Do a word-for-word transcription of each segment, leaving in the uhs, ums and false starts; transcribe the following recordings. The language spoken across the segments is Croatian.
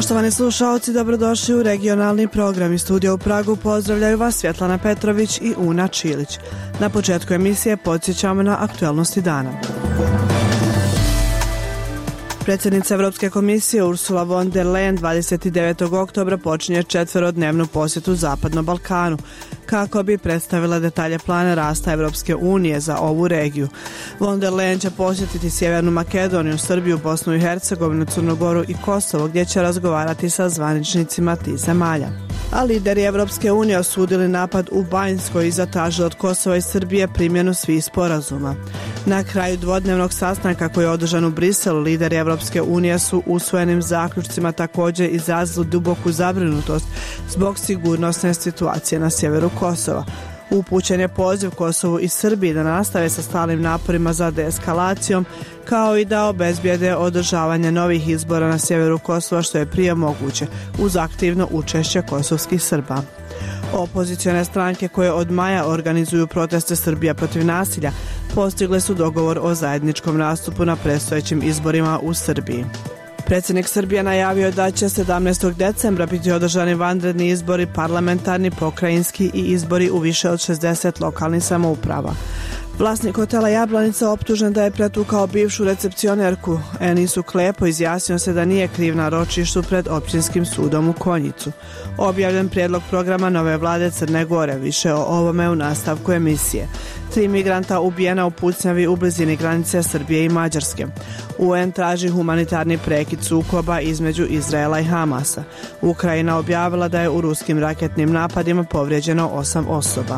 Poštovani slušalci, dobrodošli u regionalni program. Iz studija u Pragu pozdravljaju vas Svjetlana Petrović i Una Čilić. Na početku emisije podsjećamo na aktualnosti dana. Predsjednica Europske komisije Ursula von der Leyen dvadeset devetog oktobra počinje četverodnevnu posjetu Zapadnom Balkanu kako bi predstavila detalje plana rasta Europske unije za ovu regiju. Von der Leyen će posjetiti Sjevernu Makedoniju, Srbiju, Bosnu i Hercegovinu, Crnu Goru i Kosovo, gdje će razgovarati sa zvaničnicima tih zemalja. A lideri Europske unije osudili napad u Banjskoj i zatražili od Kosova i Srbije primjenu svih sporazuma. Na kraju dvodnevnog sastanka koji je održan u Briselu, lideri Europske unije su usvojenim zaključcima također izrazili duboku zabrinutost zbog sigurnosne situacije na sjeveru Kosova. Upućen je poziv Kosovu i Srbiji da nastave sa stalnim naporima za deeskalacijom, kao i da obezbijede održavanje novih izbora na sjeveru Kosova što je prije moguće, uz aktivno učešće kosovskih Srba. Opozicione stranke koje od maja organizuju proteste Srbija protiv nasilja postigle su dogovor o zajedničkom nastupu na predstojećim izborima u Srbiji. Predsjednik Srbije najavio da će sedamnaestog decembra biti održani vanredni izbori, parlamentarni, pokrajinski i izbori u više od šezdeset lokalnih samouprava. Vlasnik hotela Jablanica optužen da je pretukao bivšu recepcionerku Enisu Klepo izjasnio se da nije kriv na ročištu pred općinskim sudom u Konjicu. Objavljen prijedlog programa nove vlade Crne Gore. Više o ovome u nastavku emisije. Tri migranta ubijena u pucnjavi u blizini granice Srbije i Mađarske. U en traži humanitarni prekid sukoba između Izraela i Hamasa. Ukrajina objavila da je u ruskim raketnim napadima povrijeđeno osam osoba.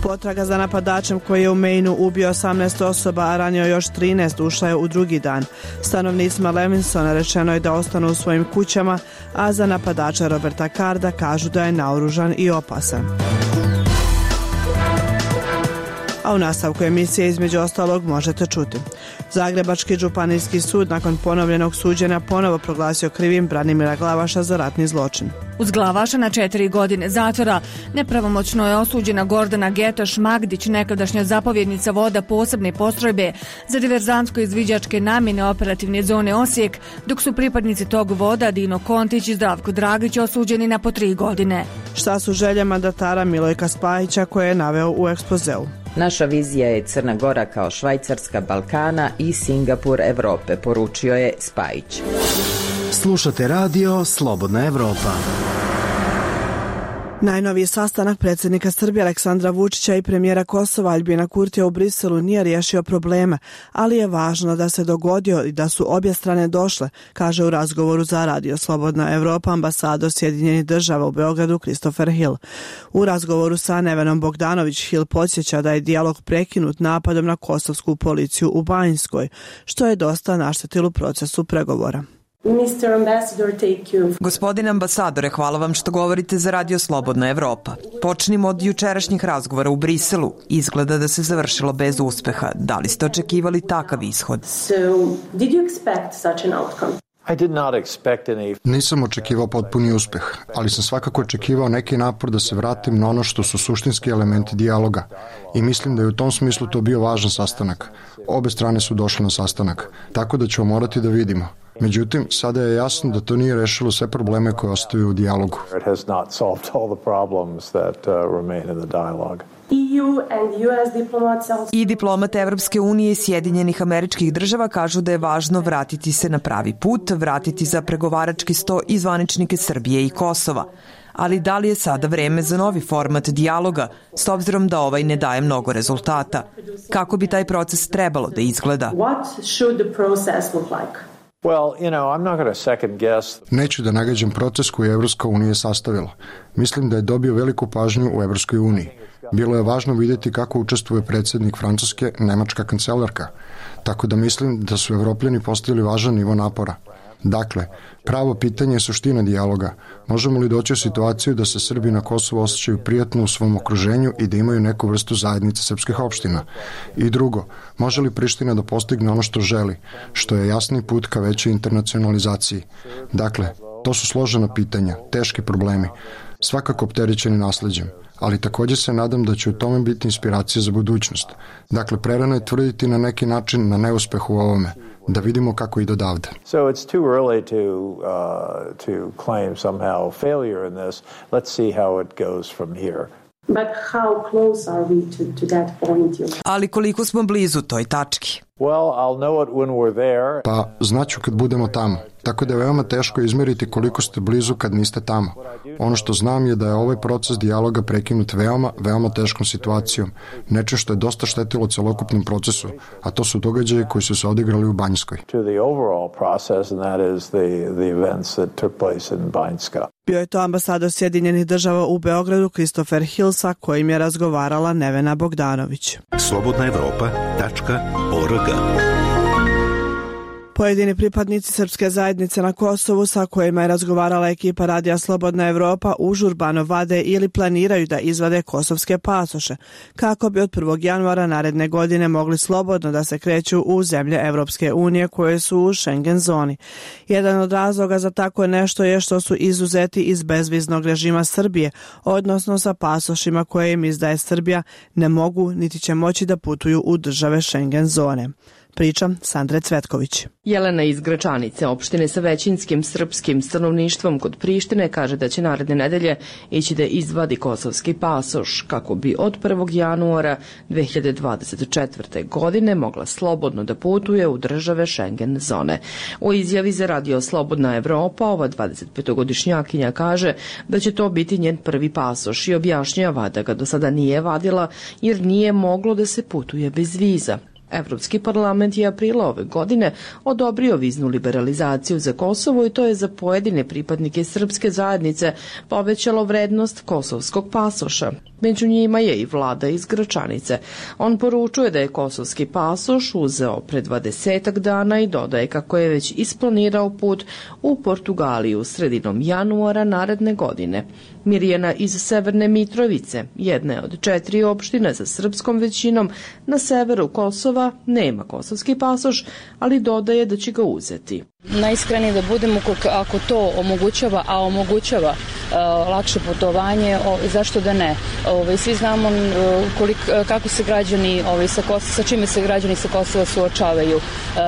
Potraga za napadačem koji je u Mainu ubio osamnaest osoba, a ranio još trinaest, ušla je u drugi dan. Stanovnicima Levinsona rečeno je da ostanu u svojim kućama, a za napadača Roberta Carda kažu da je naoružan i opasan. A u nastavku emisije između ostalog možete čuti. Zagrebački županijski sud nakon ponovljenog suđenja ponovo proglasio krivim Branimira Glavaša za ratni zločin. Uz Glavaša na četiri godine zatvora nepravomoćno je osuđena Gordana Getoš Magdić, nekadašnja zapovjednica voda posebne postrojbe za diverzantsko-izviđačke namjene operativne zone Osijek, dok su pripadnici tog voda Dino Kontić i Zdravko Dragić osuđeni na po tri godine. Šta su želje mandatara Milojka Spajića koje je naveo u ekspozeu? Naša vizija je Crna Gora kao Švajcarska Balkana i Singapur Evrope, poručio je Spajić. Slušate radio Slobodna Evropa. Najnoviji sastanak predsjednika Srbije Aleksandra Vučića i premijera Kosova Aljbina Kurtija u Briselu nije riješio probleme, ali je važno da se dogodio i da su obje strane došle, kaže u razgovoru za radio Slobodna Evropa ambasador Sjedinjenih država u Beogradu Christopher Hill. U razgovoru sa Nevenom Bogdanović Hill podsjeća da je dijalog prekinut napadom na kosovsku policiju u Banjskoj, što je dosta naštetilo procesu pregovora. Gospodine ambasadore, hvala vam što govorite za radio Slobodna Evropa. Počnimo od jučerašnjih razgovora u Briselu. Izgleda da se završilo bez uspeha. Da li ste očekivali takav ishod? Nisam očekivao potpuni uspeh, ali sam svakako očekivao neki napor da se vratim na ono što su suštinski elementi dijaloga. I mislim da je u tom smislu to bio važan sastanak. Obe strane su došle na sastanak, tako da ćemo morati da vidimo. Međutim, sada je jasno da to nije rešilo sve probleme koje ostaju u dijalogu. I diplomate Evropske unije i Sjedinjenih Američkih Država kažu da je važno vratiti se na pravi put, vratiti za pregovarački sto i zvaničnike Srbije i Kosova. Ali da li je sada vreme za novi format dijaloga, s obzirom da ovaj ne daje mnogo rezultata? Kako bi taj proces trebalo da izgleda? Neću da nagađam proces koji je Evropska unija sastavila. Mislim da je dobio veliku pažnju u Evropskoj uniji. Bilo je važno vidjeti kako učestvuje predsjednik Francuske, nemačka kancelarka. Tako da mislim da su Evropljani postavili važan nivo napora. Dakle, pravo pitanje je suština dijaloga. Možemo li doći u situaciju da se Srbi na Kosovu osjećaju prijatno u svom okruženju i da imaju neku vrstu zajednice srpskih opština? I drugo, može li Priština da postigne ono što želi, što je jasni put ka većoj internacionalizaciji? Dakle, to su složena pitanja, teški problemi. svakako opterećeni nasleđem, ali također se nadam da će u tome biti inspiracija za budućnost. Dakle, prerano je tvrditi na neki način na neuspeh u ovome, da vidimo kako ide odavde. So it's too early to uh, to claim somehow failure in this. Let's see how it goes from here. But how close are we to, to that point? Ali koliko smo blizu toj tački? Well, I'll know it when we're there. Pa znaću kad budemo tamo. Tako da je veoma teško izmeriti koliko ste blizu kad niste tamo. Ono što znam je da je ovaj proces dijaloga prekinut veoma, veoma teškom situacijom. Nečem što je dosta štetilo celokupnom procesu, a to su događaji koji su se odigrali u Banjskoj. To the overall process, and that is the, the events that took place in Banjska. Bio je to ambasador Sjedinjenih država u Beogradu Christopher Hill, sa kojim je razgovarala Nevena Bogdanović. slobodna evropa tačka org. Pojedini pripadnici srpske zajednice na Kosovu sa kojima je razgovarala ekipa Radija Slobodna Evropa užurbano vade ili planiraju da izvade kosovske pasoše, kako bi od prvog januara naredne godine mogli slobodno da se kreću u zemlje Evropske unije koje su u Schengen zoni. Jedan od razloga za tako nešto je što su izuzeti iz bezviznog režima Srbije, odnosno sa pasošima koje im izdaje Srbija ne mogu niti će moći da putuju u države Schengen zone. Priča Sandre Cvetković. Jelena iz Gračanice, opštine sa većinskim srpskim stanovništvom kod Prištine, kaže da će naredne nedelje ići da izvadi kosovski pasoš kako bi od prvog januara dve hiljade dvadeset četvrte. godine mogla slobodno da putuje u države Schengen zone. U izjavi za Radio Slobodna Evropa ova dvadesetpetogodišnjakinja kaže da će to biti njen prvi pasoš i objašnjava da ga do sada nije vadila jer nije moglo da se putuje bez viza. Evropski parlament je aprila ove godine odobrio viznu liberalizaciju za Kosovo i to je za pojedine pripadnike srpske zajednice povećalo vrednost kosovskog pasoša. Među njima je i vlada iz Gračanice. On poručuje da je kosovski pasoš uzeo pre dvadesetak dana i dodaje kako je već isplanirao put u Portugaliju sredinom januara naredne godine. Mirjana iz Severne Mitrovice, jedna od četiri opštine sa srpskom većinom na severu Kosova, nema kosovski pasoš, ali dodaje da će ga uzeti. Najiskrenije da budemo, ako to omogućava, a omogućava uh, lakše putovanje, o, zašto da ne? Ove, svi znamo uh, kolik, kako se građani, ove, sa, Kosova, sa čime se građani sa Kosova suočavaju uh,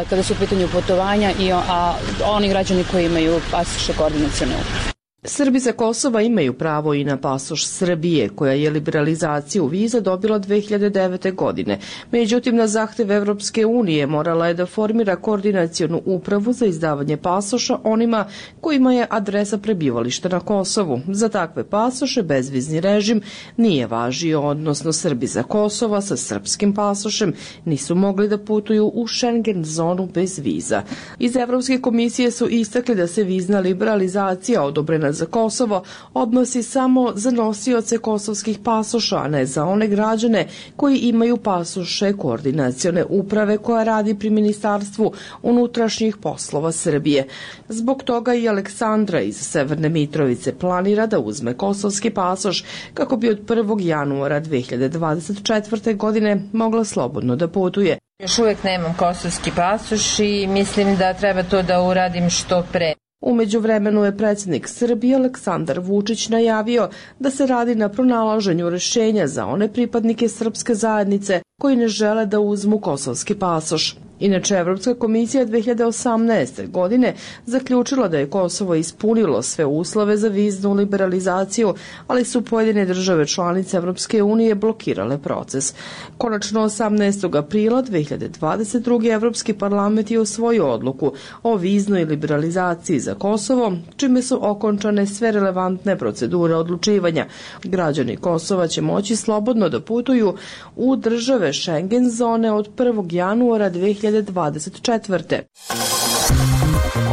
kada su u pitanju putovanja, i, a oni građani koji imaju pasoše koordinacione uprave. Srbi sa Kosova imaju pravo i na pasoš Srbije, koja je liberalizaciju viza dobila dve hiljade devete. godine. Međutim, na zahtev Evropske unije morala je da formira koordinacionu upravu za izdavanje pasoša onima kojima je adresa prebivališta na Kosovu. Za takve pasoše bezvizni režim nije važio, odnosno Srbi sa Kosova sa srpskim pasošem nisu mogli da putuju u Schengen zonu bez viza. Iz Evropske komisije su istakli da se vizna liberalizacija odobrena za Kosovo odnosi samo za nosioce kosovskih pasoša, a ne za one građane koji imaju pasoše koordinacione uprave koja radi pri Ministarstvu unutrašnjih poslova Srbije. Zbog toga i Aleksandra iz Severne Mitrovice planira da uzme kosovski pasoš kako bi od prvog januara dve hiljade dvadeset četvrte. godine mogla slobodno da putuje. Još uvijek nemam kosovski pasoš i mislim da treba to da uradim što pre. U međuvremenu je predsjednik Srbije Aleksandar Vučić najavio da se radi na pronalaženju rješenja za one pripadnike srpske zajednice koji ne žele da uzmu kosovski pasoš. Inače, Evropska komisija dve hiljade osamnaeste. godine zaključila da je Kosovo ispunilo sve uslove za viznu liberalizaciju, ali su pojedine države članice Evropske unije blokirale proces. Konačno osamnaestog aprila dve hiljade dvadeset druge. Evropski parlament je usvojio odluku o viznoj liberalizaciji za Kosovo, čime su okončane sve relevantne procedure odlučivanja. Građani Kosova će moći slobodno da putuju u države Schengen zone od prvog januara dve hiljade dvadeset četvrte.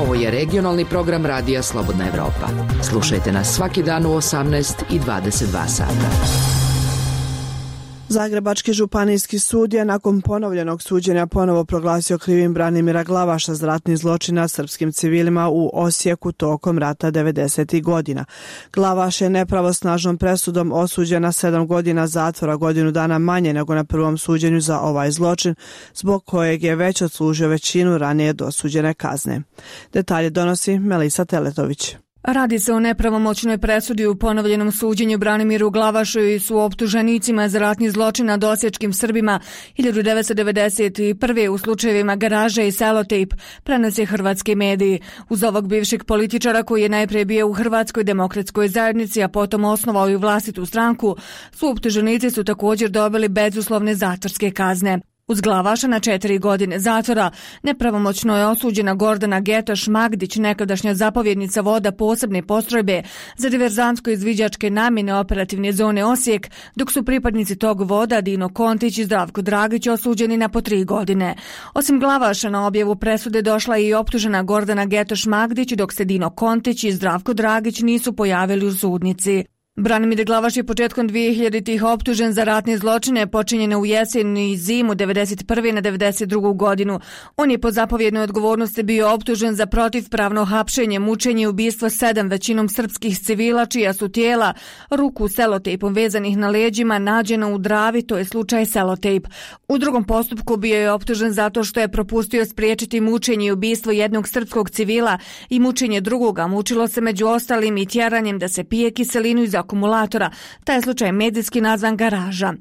Ovo je regionalni program Radija Slobodna Evropa. Slušajte nas svaki dan u osamnaest i dvadeset dva sata. Zagrebački županijski sud je nakon ponovljenog suđenja ponovo proglasio krivim Branimira Glavaša za ratni zločin nad srpskim civilima u Osijeku tokom rata devedesetih. godina. Glavaš je nepravosnažnom presudom osuđen na sedam godina zatvora, godinu dana manje nego na prvom suđenju za ovaj zločin, zbog kojeg je već odslužio većinu ranije dosuđene kazne. Detalje donosi Melisa Teletović. Radi se o nepravomoćnoj presudi u ponovljenom suđenju Branimiru Glavašu i su optuženicima za ratni zločin nad osječkim Srbima hiljadu devetsto devedeset prve u slučajevima Garaže i Selotejp, prenose hrvatski mediji. Uz ovog bivšeg političara koji je najprije bio u Hrvatskoj demokratskoj zajednici, a potom osnovao i vlastitu stranku, su optuženici su također dobili bezuslovne zatvorske kazne. Uz Glavaša na četiri godine zatvora nepravomoćno je osuđena Gordana Getoš Magdić, nekadašnja zapovjednica voda posebne postrojbe za diverzantsko-izviđačke namjene operativne zone Osijek, dok su pripadnici tog voda Dino Kontić i Zdravko Dragić osuđeni na po tri godine. Osim Glavaša na objavu presude došla je i optužena Gordana Getoš Magdić, dok se Dino Kontić i Zdravko Dragić nisu pojavili u sudnici. Branimir Glavaš je početkom dvehiljaditih optužen za ratne zločine počinjene u jesen i zimu devedeset prve na devedeset drugu godinu. On je po zapovjednoj odgovornosti bio optužen za protivpravno hapšenje, mučenje i ubistvo sedam većinom srpskih civila čija su tijela ruku selotejpom vezanih na leđima nađena u Dravi, to je slučaj Selotejp. U drugom postupku bio je optužen zato što je propustio spriječiti mučenje i ubistvo jednog srpskog civila i mučenje drugoga. Mučilo se među ostalim i tjeranjem da se pije kiselinu iz akumulatora. Taj slučaj medijski nazvan Garaža.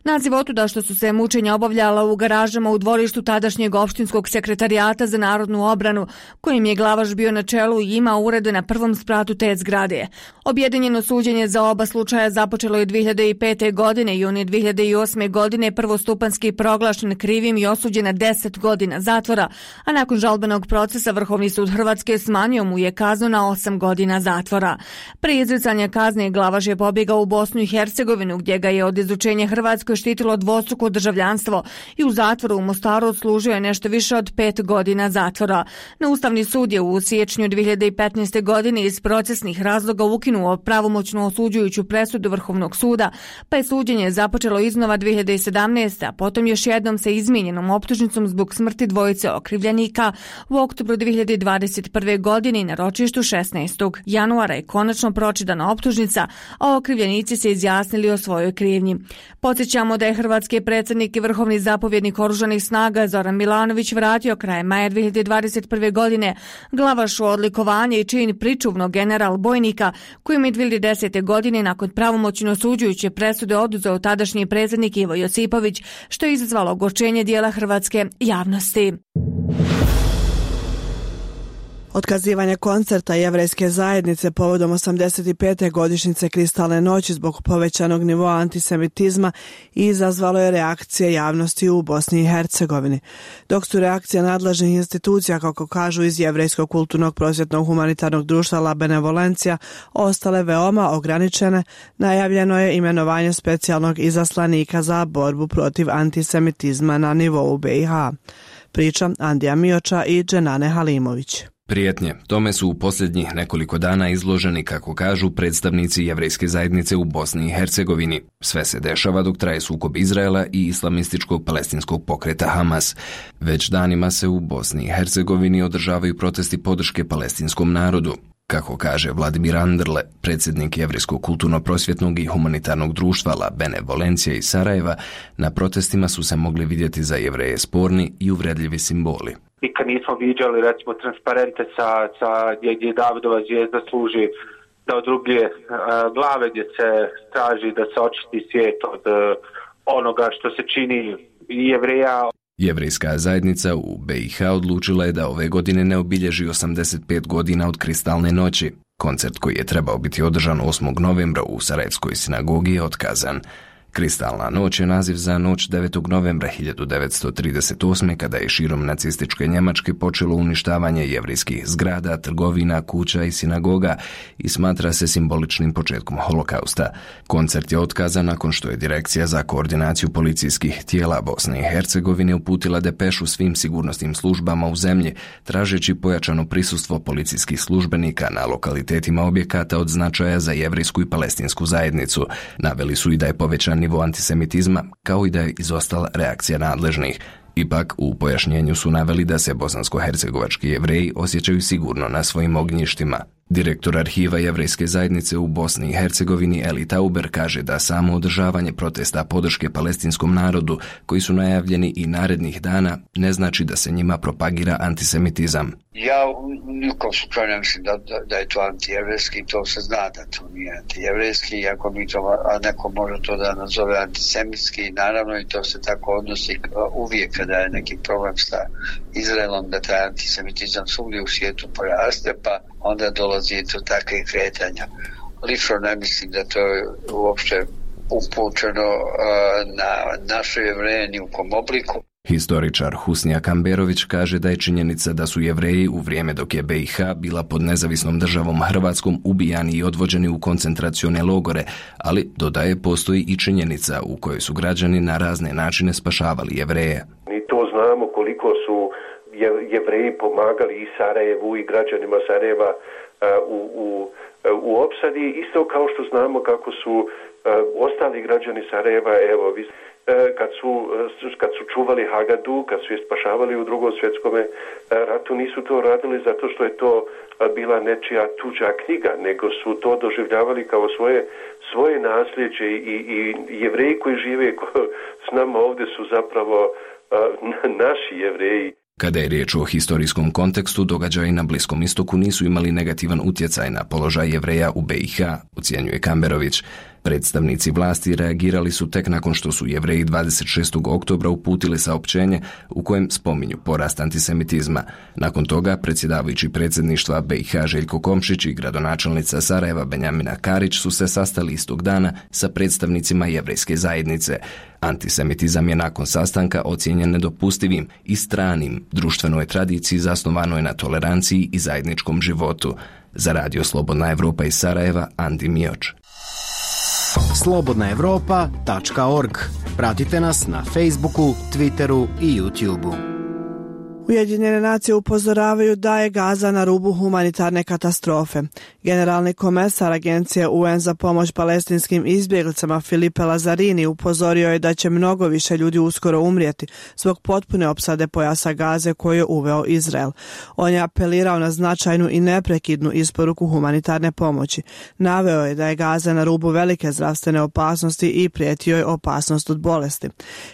Naziv otuda što su se mučenja obavljala u garažama u dvorištu tadašnjeg opštinskog sekretarijata za narodnu obranu, kojim je Glavaš bio na čelu i imao urede na prvom spratu te zgrade. Objedinjeno suđenje za oba slučaja započelo je dvije hiljade pete. godine i on je dvije hiljade osme. godine prvostupanski proglašen krivim i osuđen na deset godina zatvora, a nakon žalbenog procesa Vrhovni sud Hrvatske smanjio mu je kaznu na osam godina zatvora. Prije izricanja kazne Glavaš je pobjegao u Bosnu i Hercegovinu, gdje ga je od izručenja Hrvatskoj štitilo dvostruko državljanstvo i u zatvoru u Mostaru odslužio je nešto više od pet godina zatvora. Na Ustavni sud je u siječnju dvije hiljade petnaeste. godine iz procesnih razloga ukinuo pravomoćnu osuđujuću presudu Vrhovnog suda, pa je suđenje započelo iznova dvije hiljade sedamnaeste. a potom još jednom sa izmijenjenom optužnicom zbog smrti dvojice okrivljenika u oktobru dvije hiljade dvadeset prve. godine i na ročištu šesnaestog januara je konačno pročitana optužnica, a okrivljenici se izjasnili o svojoj krivnji. Podsjećamo da je hrvatski predsjednik i vrhovni zapovjednik oružanih snaga Zoran Milanović vratio krajem maja dvije hiljade dvadeset prve. godine Glavašu odlikovanje i čin pričuvnog general bojnika, kojim je dvije hiljade desete. godine nakon pravomoćno osuđujuće presude oduzeo tadašnji predsjednik Ivo Josipović, što je izazvalo ogorčenje dijela hrvatske javnosti. Otkazivanje koncerta jevrejske zajednice povodom osamdeset pete. godišnjice Kristalne noći zbog povećanog nivoa antisemitizma izazvalo je reakcije javnosti u Bosni i Hercegovini. Dok su reakcije nadležnih institucija, kako kažu iz Jevrejskog kulturnog prosvjetnog humanitarnog društva La Benevolencija, ostale veoma ograničene, najavljeno je imenovanje specijalnog izaslanika za borbu protiv antisemitizma na nivou be i ha. Priča Andija Mioča i Dženane Halimović. Prijetnje. Tome su u posljednjih nekoliko dana izloženi, kako kažu, predstavnici jevrejske zajednice u Bosni i Hercegovini. Sve se dešava dok traje sukob Izraela i islamističkog palestinskog pokreta Hamas. Već danima se u Bosni i Hercegovini održavaju protesti podrške palestinskom narodu. Kako kaže Vladimir Anderle, predsjednik Jevrejskog kulturno-prosvjetnog i humanitarnog društva La Benevolencija iz Sarajeva, na protestima su se mogli vidjeti za Jevreje sporni i uvredljivi simboli. Nikad nismo viđali, recimo, transparente sa, sa gdje, gdje Davidova zvijezda služi da od druge uh, glave, gdje se traži da se očisti svijet od uh, onoga što se čini Jevreja. Jevrejska zajednica u be i ha odlučila je da ove godine ne obilježi osamdeset pet godina od Kristalne noći. Koncert koji je trebao biti održan osmog novembra u Sarajevskoj sinagogi je otkazan. Kristalna noć je naziv za noć devetog novembra hiljadu devetsto trideset osme. kada je širom nacističke Njemačke počelo uništavanje jevrejskih zgrada, trgovina, kuća i sinagoga i smatra se simboličnim početkom holokausta. Koncert je otkazan nakon što je Direkcija za koordinaciju policijskih tijela Bosne i Hercegovine uputila depešu svim sigurnosnim službama u zemlji, tražeći pojačano prisustvo policijskih službenika na lokalitetima objekata od značaja za jevrejsku i palestinsku zajednicu. Naveli su i da je povećan nivo antisemitizma, kao i da je izostala reakcija nadležnih. Ipak, u pojašnjenju su naveli da se bosansko-hercegovački Jevreji osjećaju sigurno na svojim ognjištima. Direktor arhiva jevrejske zajednice u Bosni i Hercegovini Eli Tauber kaže da samo održavanje protesta podrške palestinskom narodu, koji su najavljeni i narednih dana, ne znači da se njima propagira antisemitizam. Ja nikom slučaju ne mislim da, da, da je to antijevrijski, to se zna da to nije antijevrijski, ako mi to, a neko može to da nazove antisemitski, naravno i to se tako odnosi uvijek kada je neki problem sa Izraelom, da taj antisemitizam svugdje u svijetu poraste, pa onda dolazi do takvih kretanja. Lično ne mislim da to je uopšte upućeno na naše Jevreje ni u kom obliku. Historičar Husnija Kamberović kaže da je činjenica da su Jevreji u vrijeme dok je be i ha bila pod nezavisnom državom Hrvatskom ubijani i odvođeni u koncentracione logore, ali dodaje postoji i činjenica u kojoj su građani na razne načine spašavali Jevreje. Mi to znamo koliko su Jevreji pomagali i Sarajevu i građanima Sarajeva u, u, u opsadi, isto kao što znamo kako su ostali građani Sarajeva, evo, vi kad su, kad su čuvali Hagadu, kad su je spašavali u drugom svjetskom ratu, nisu to radili zato što je to bila nečija tuđa knjiga, nego su to doživljavali kao svoje, svoje nasljeđe i, i Jevreji koji žive s nama ovdje su zapravo naši Jevreji. Kada je riječ o historijskom kontekstu, događaji na Bliskom istoku nisu imali negativan utjecaj na položaj Jevreja u be i ha, ocjenjuje Kamberović. Predstavnici vlasti reagirali su tek nakon što su Jevreji dvadeset šestog oktobra uputili saopćenje u kojem spominju porast antisemitizma. Nakon toga predsjedavajući predsjedništva be i ha Željko Komšić i gradonačelnica Sarajeva Benjamina Karić su se sastali istog dana sa predstavnicima jevrejske zajednice. Antisemitizam je nakon sastanka ocijenjen nedopustivim i stranim društvenoj tradiciji zasnovanoj na toleranciji i zajedničkom životu. Za Radio Slobodna Evropa iz Sarajeva, Andi Mioč. slobodna evropa tačka org. Pratite nas na Facebooku, Twitteru i YouTubeu. Ujedinjene nacije upozoravaju da je Gaza na rubu humanitarne katastrofe. Generalni komesar Agencije u en za pomoć palestinskim izbjeglicama Filipe Lazzarini upozorio je da će mnogo više ljudi uskoro umrijeti zbog potpune opsade pojasa Gaze koju je uveo Izrael. On je apelirao na značajnu i neprekidnu isporuku humanitarne pomoći. Naveo je da je Gaza na rubu velike zdravstvene opasnosti i prijetio je opasnost od bolesti.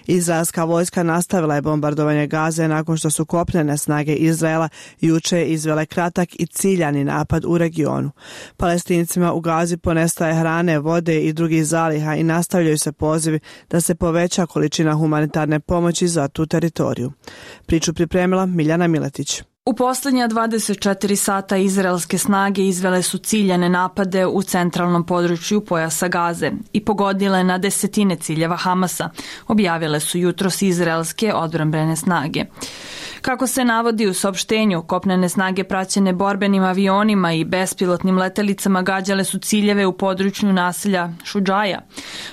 Izraelska vojska nastavila je bombardovanje Gaze nakon što su kopnene snage Izraela juče izvele kratak i ciljani napad u regionu. Palestincima u Gazi ponestaje hrane, vode i drugih zaliha i nastavljaju se pozivi da se poveća količina humanitarne pomoći za tu teritoriju. Priču pripremila Miljana Miletić. U posljednja dvadeset četiri sata izraelske snage izvele su ciljane napade u centralnom području pojasa Gaze i pogodile na desetine ciljeva Hamasa, objavile su jutros izraelske odbrambene snage. Kako se navodi u saopštenju, kopnene snage praćene borbenim avionima i bespilotnim letelicama gađale su ciljeve u području naselja Šudžaja.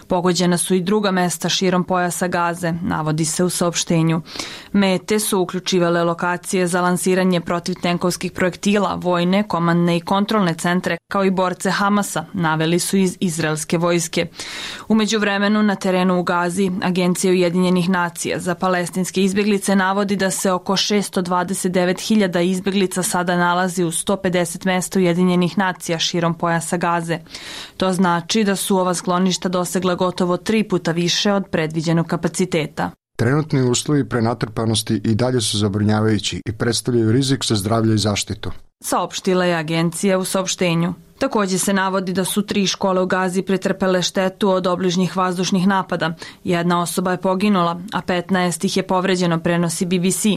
Pogođena su i druga mesta širom pojasa Gaze, navodi se u saopštenju. Mete su uključivale lokacije za lansiranje protivtenkovskih projektila, vojne, komandne i kontrolne centre, kao i borce Hamasa, naveli su iz izraelske vojske. U međuvremenu na terenu u Gazi, Agencija Ujedinjenih nacija za palestinske izbjeglice navodi da se oko šesto dvadeset devet hiljada izbjeglica sada nalazi u sto pedeset mesta Ujedinjenih nacija širom pojasa Gaze. To znači da su ova skloništa dosegla gotovo tri puta više od predviđenog kapaciteta. Trenutni uslovi prenatrpanosti i dalje su zabrinjavajući i predstavljaju rizik za zdravlje i zaštitu, saopštila je agencija u saopštenju. Također se navodi da su tri škole u Gazi pretrpele štetu od obližnjih vazdušnih napada. Jedna osoba je poginula, a petnaest ih je povređeno, prenosi be be ce.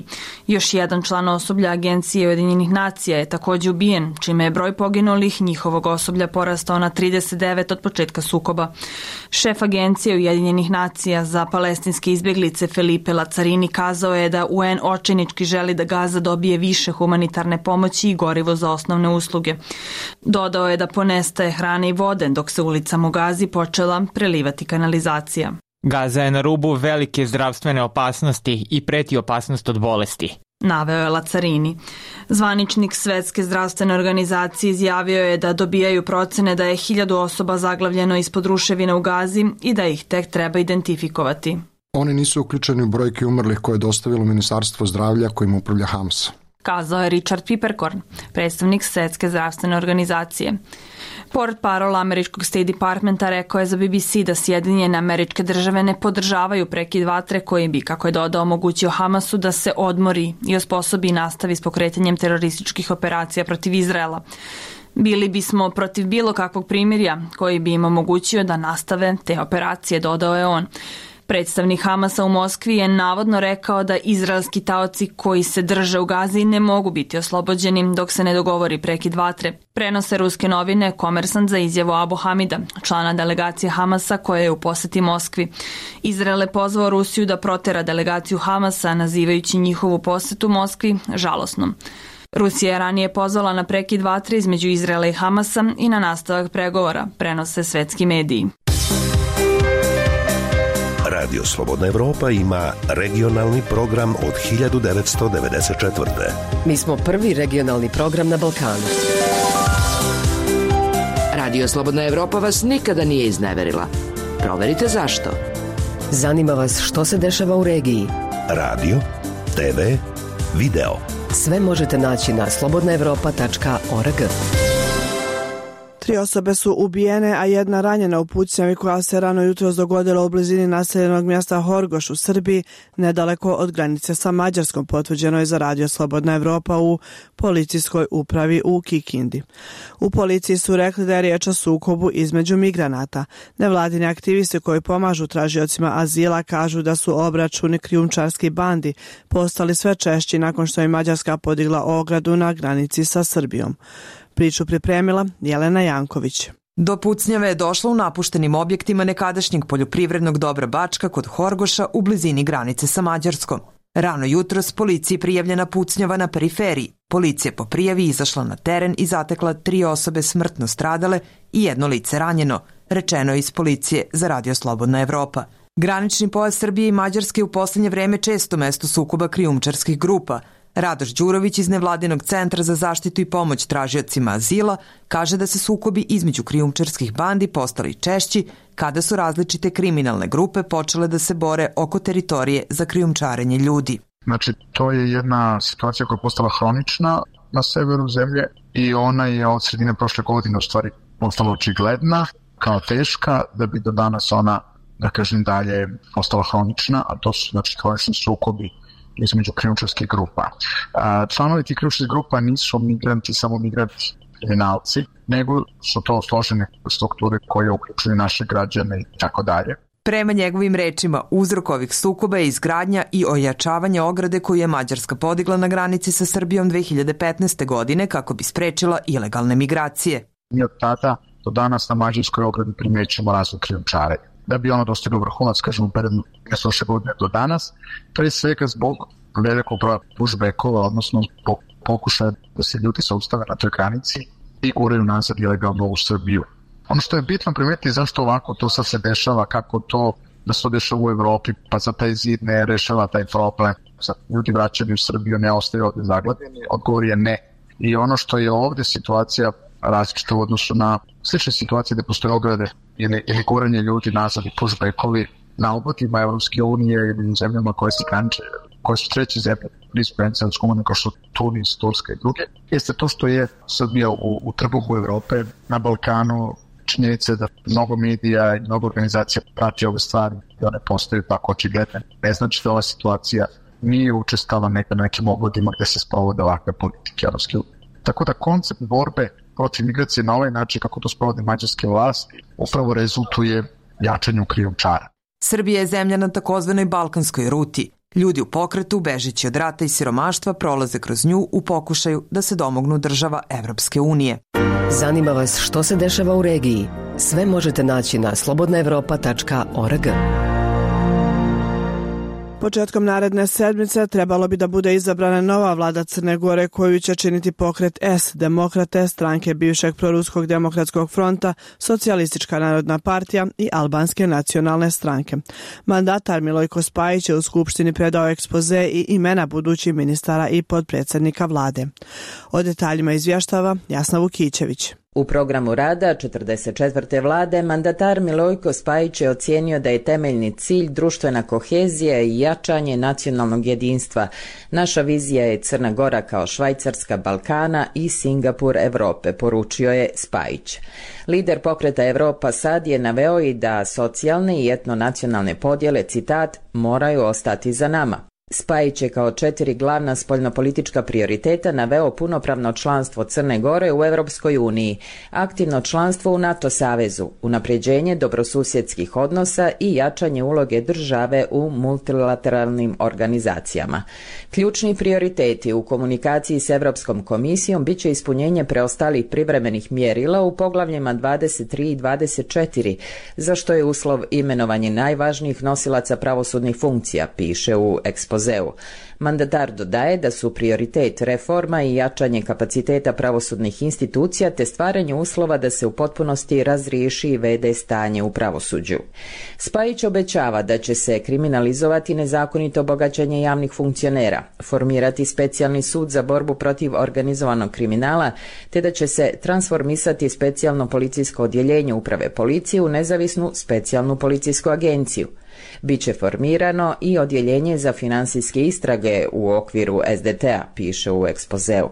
Još jedan član osoblja Agencije Ujedinjenih nacija je također ubijen, čime je broj poginulih njihovog osoblja porastao na trideset devet od početka sukoba. Šef Agencije Ujedinjenih nacija za palestinske izbjeglice Filipe Lazzarini kazao je da u en očajnički želi da Gaza dobije više humanitarne pomoći i gorivo za osnovne usluge. Dodao je da ponestaje hrane i vode, dok se ulicama u Gazi počela prelivati kanalizacija. Gaza je na rubu velike zdravstvene opasnosti i preti opasnost od bolesti, naveo je Lazzarini. Zvaničnik Svetske zdravstvene organizacije izjavio je da dobijaju procene da je hiljadu osoba zaglavljeno ispod ruševina u Gazi i da ih tek treba identifikovati. Oni nisu uključeni u brojke umrlih koje je dostavilo Ministarstvo zdravlja kojim upravlja Hamas. kazao je Richard Piperkorn, predstavnik Svetske zdravstvene organizacije. Portparol američkog State Departmenta rekao je za B B C da Sjedinjene Američke Države ne podržavaju prekid vatre koji bi, kako je dodao, omogućio Hamasu da se odmori i osposobi i nastavi s pokretanjem terorističkih operacija protiv Izraela. Bili bismo protiv bilo kakvog primirja koji bi im omogućio da nastave te operacije, dodao je on. Predstavnik Hamasa u Moskvi je navodno rekao da izraelski taoci koji se drže u Gazi ne mogu biti oslobođeni dok se ne dogovori prekid vatre. Prenose ruske novine Komersant za izjavu Abu Hamida, člana delegacije Hamasa koja je u poseti Moskvi. Izrael je pozvao Rusiju da protera delegaciju Hamasa, nazivajući njihovu posetu Moskvi žalosnom. Rusija je ranije pozvala na prekid vatre između Izraela i Hamasa i na nastavak pregovora, prenose svetski mediji. Radio Slobodna Evropa ima regionalni program od hiljadu devetsto devedeset četvrte. Mi smo prvi regionalni program na Balkanu. Radio Slobodna Evropa vas nikada nije izneverila. Proverite zašto. Zanima vas što se dešava u regiji. Radio, te ve, video. Sve možete naći na slobodna evropa tačka org. Tri osobe su ubijene, a jedna ranjena u pucnjavi koja se rano jutros dogodila u blizini naseljenog mjesta Horgoš u Srbiji, nedaleko od granice sa Mađarskom, potvrđeno je za Radio Slobodna Evropa u policijskoj upravi u Kikindi. U policiji su rekli da je riječ o sukobu između migranata. Nevladini aktivisti koji pomažu tražiocima azila kažu da su obračuni krijumčarskih bandi postali sve češći nakon što je Mađarska podigla ogradu na granici sa Srbijom. Priču pripremila Jelena Janković. Do pucnjave je došlo u napuštenim objektima nekadašnjeg poljoprivrednog dobra Bačka kod Horgoša u blizini granice sa Mađarskom. Rano jutros policiji prijavljena pucnjava na periferiji. Policija po prijavi izašla na teren i zatekla tri osobe smrtno stradale i jedno lice ranjeno, rečeno je iz policije za Radio Slobodna Evropa. Granični pojas Srbije i Mađarske u posljednje vreme često mesto sukoba krijumčarskih grupa. Radoš Đurović iz Nevladinog centra za zaštitu i pomoć tražiocima azila kaže da se sukobi između krijumčarskih bandi postali češći kada su različite kriminalne grupe počele da se bore oko teritorije za krijumčarenje ljudi. Znači, to je jedna situacija koja je postala hronična na severu zemlje i ona je od sredine prošle godine u stvari postala očigledna kao teška, da bi do danas ona, da kažem dalje, postala hronična, a to su znači hronični sukobi između krijumčarskih grupa. Članovi tih krijumčarskih grupa nisu migranti, samo migranti kriminalci, nego su to složene strukture koje uključuju naše građane i tako dalje. Prema njegovim rečima, uzrok ovih sukoba je izgradnja i ojačavanje ograde koju je Mađarska podigla na granici sa Srbijom dve hiljade petnaeste. godine kako bi sprečila ilegalne migracije. Mi od tada do danas na mađarskoj ogradi primjećujemo razvoj krijumčarenja. Da bi ono dostiglo vrhunac, kažemo, u periodu prošle godine do danas, pre svega zbog velikog broja pushbackova, odnosno zbog pokušaja da se ljudi saustave na toj granici i guraju nazad ilegalno u Srbiju. Ono što je bitno primetiti zašto ovako to sad se dešava, kako to da se to dešava u Evropi, pa za taj zid ne rešava taj problem, sad ljudi vraćani u Srbiju ne ostaju ovde zagladeni, odgovor je ne. I ono što je ovde situacija različita u odnosu na slične situacije gde postoje ograde ili, ili guranje ljudi nazad i pushbackovi na obodima Evropske unije ili u zemljama koje se graniče, koje su treće zemlje blizu granice Evropske unije, kao što su Tunis, Turska i druge, jeste to što je Srbija u, u trbuhu Evrope, na Balkanu, činjenice da mnogo medija i mnogo organizacija prati ove stvari i one postaju tako očigledne. Ne znači da ova situacija nije učestala neka na nekim obodima gde se sprovode ovakve politike Evropske unije. Tako da koncept borbe protiv migracije na ovaj način kako to sprovode mađarske vlasti upravo rezultuje jačanju krijumčara. Srbija je zemlja na takozvanoj balkanskoj ruti. Ljudi u pokretu, bežeći od rata i siromaštva, prolaze kroz nju u pokušaju da se domognu država Evropske unije. Zanima vas što se dešava u regiji? Sve možete naći na slobodna evropa tačka org. Početkom naredne sedmice trebalo bi da bude izabrana nova vlada Crne Gore koju će činiti pokret S, Demokrate, stranke bivšeg proruskog demokratskog fronta, Socijalistička narodna partija i Albanske nacionalne stranke. Mandatar Milojko Spajić je u Skupštini predao ekspoze i imena budućih ministara i podpredsjednika vlade. O detaljima izvještava Jasna Vukićević. U programu rada četrdeset četvrte vlade mandatar Milojko Spajić je ocijenio da je temeljni cilj društvena kohezija i jačanje nacionalnog jedinstva. Naša vizija je Crna Gora kao Švajcarska Balkana i Singapur Evrope, poručio je Spajić. Lider pokreta Evropa Sad je naveo i da socijalne i etnonacionalne podjele, citat, moraju ostati za nama. Spajić je kao četiri glavna spoljnopolitička prioriteta naveo punopravno članstvo Crne Gore u Europskoj uniji, aktivno članstvo u NATO savezu, unapređenje dobrosusjedskih odnosa i jačanje uloge države u multilateralnim organizacijama. Ključni prioriteti u komunikaciji s Europskom komisijom biće ispunjenje preostalih privremenih mjerila u poglavljima dvadeset tri i dvadeset četiri, za što je uslov imenovanje najvažnijih nosilaca pravosudnih funkcija, piše u ekspozeu. Mandatar dodaje da su prioritet reforma i jačanje kapaciteta pravosudnih institucija te stvaranje uslova da se u potpunosti razriješi i vede stanje u pravosuđu. Spajić obećava da će se kriminalizovati nezakonito bogaćenje javnih funkcionera, formirati specijalni sud za borbu protiv organizovanog kriminala, te da će se transformisati specijalno policijsko odjeljenje uprave policije u nezavisnu specijalnu policijsku agenciju. Biće formirano i odjeljenje za financijske istrage u okviru S D T-a, piše u ekspozeu.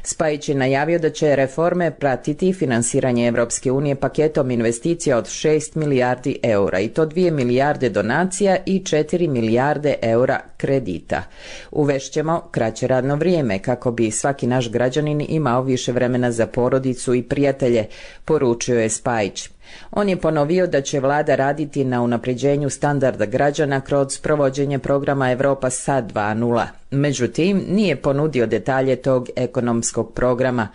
Spajić je najavio da će reforme pratiti finansiranje Evropske unije paketom investicija od šest milijardi eura i to dvije milijarde donacija i četiri milijarde eura kredita. Uvešćemo kraće radno vrijeme kako bi svaki naš građanin imao više vremena za porodicu i prijatelje, poručio je Spajić. On je ponovio da će vlada raditi na unapređenju standarda građana kroz provođenje programa Evropa Sad dva nula. Međutim, nije ponudio detalje tog ekonomskog programa.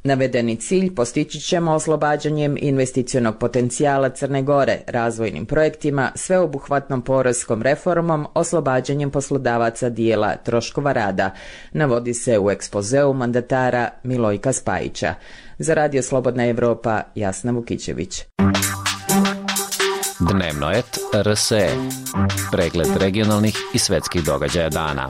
Navedeni cilj postići ćemo oslobađanjem investicionog potencijala Crne Gore, razvojnim projektima, sveobuhvatnom poreskom reformom, oslobađanjem poslodavaca dijela troškova rada, navodi se u ekspozeu mandatara Milojka Spajića. Za Radio Slobodna Evropa, Jasna Vukićević. Dnevno et R S E. Pregled regionalnih i svetskih događaja dana.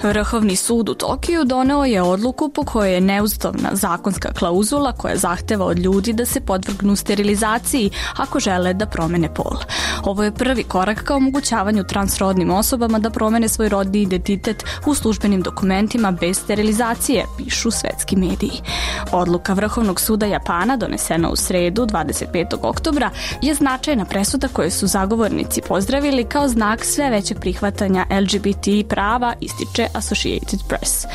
Vrhovni sud u Tokiju doneo je odluku po kojoj je neustavna zakonska klauzula koja zahteva od ljudi da se podvrgnu sterilizaciji ako žele da promene pol. Ovo je prvi korak ka omogućavanju transrodnim osobama da promene svoj rodni identitet u službenim dokumentima bez sterilizacije, pišu svetski mediji. Odluka Vrhovnog suda Japana, donesena u sredu dvadeset petog oktobra, je značajna presuda koju su zagovornici pozdravili kao znak sve većeg prihvatanja L G B T prava, ističe Associated Press.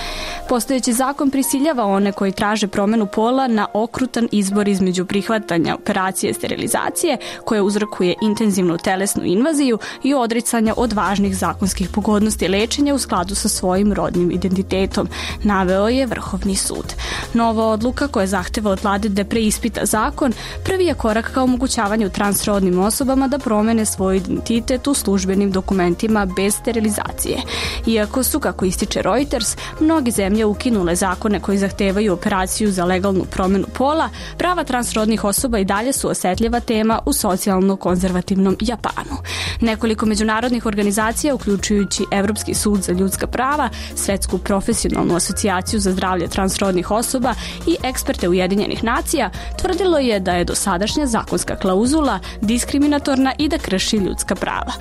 Postojeći zakon prisiljava one koji traže promenu pola na okrutan izbor između prihvatanja operacije sterilizacije, koja uzrokuje intenzivnu telesnu invaziju, i odricanja od važnih zakonskih pogodnosti lečenja u skladu sa svojim rodnim identitetom, naveo je Vrhovni sud. Nova odluka koja zahteva od vlade da preispita zakon prvi je korak ka omogućavanju transrodnim osobama da promene svoj identitet u službenim dokumentima bez sterilizacije. Iako su, kako ističe Reuters, mnoge zemlje ukinule zakone koji zahtevaju operaciju za legalnu promenu pola, prava transrodnih osoba i dalje su osetljiva tema u socijalno-konzervativnom Japanu. Nekoliko međunarodnih organizacija, uključujući Evropski sud za ljudska prava, Svetsku profesionalnu asocijaciju za zdravlje transrodnih osoba i eksperte Ujedinjenih nacija, tvrdilo je da je dosadašnja zakonska klauzula diskriminatorna i da krši ljudska prava.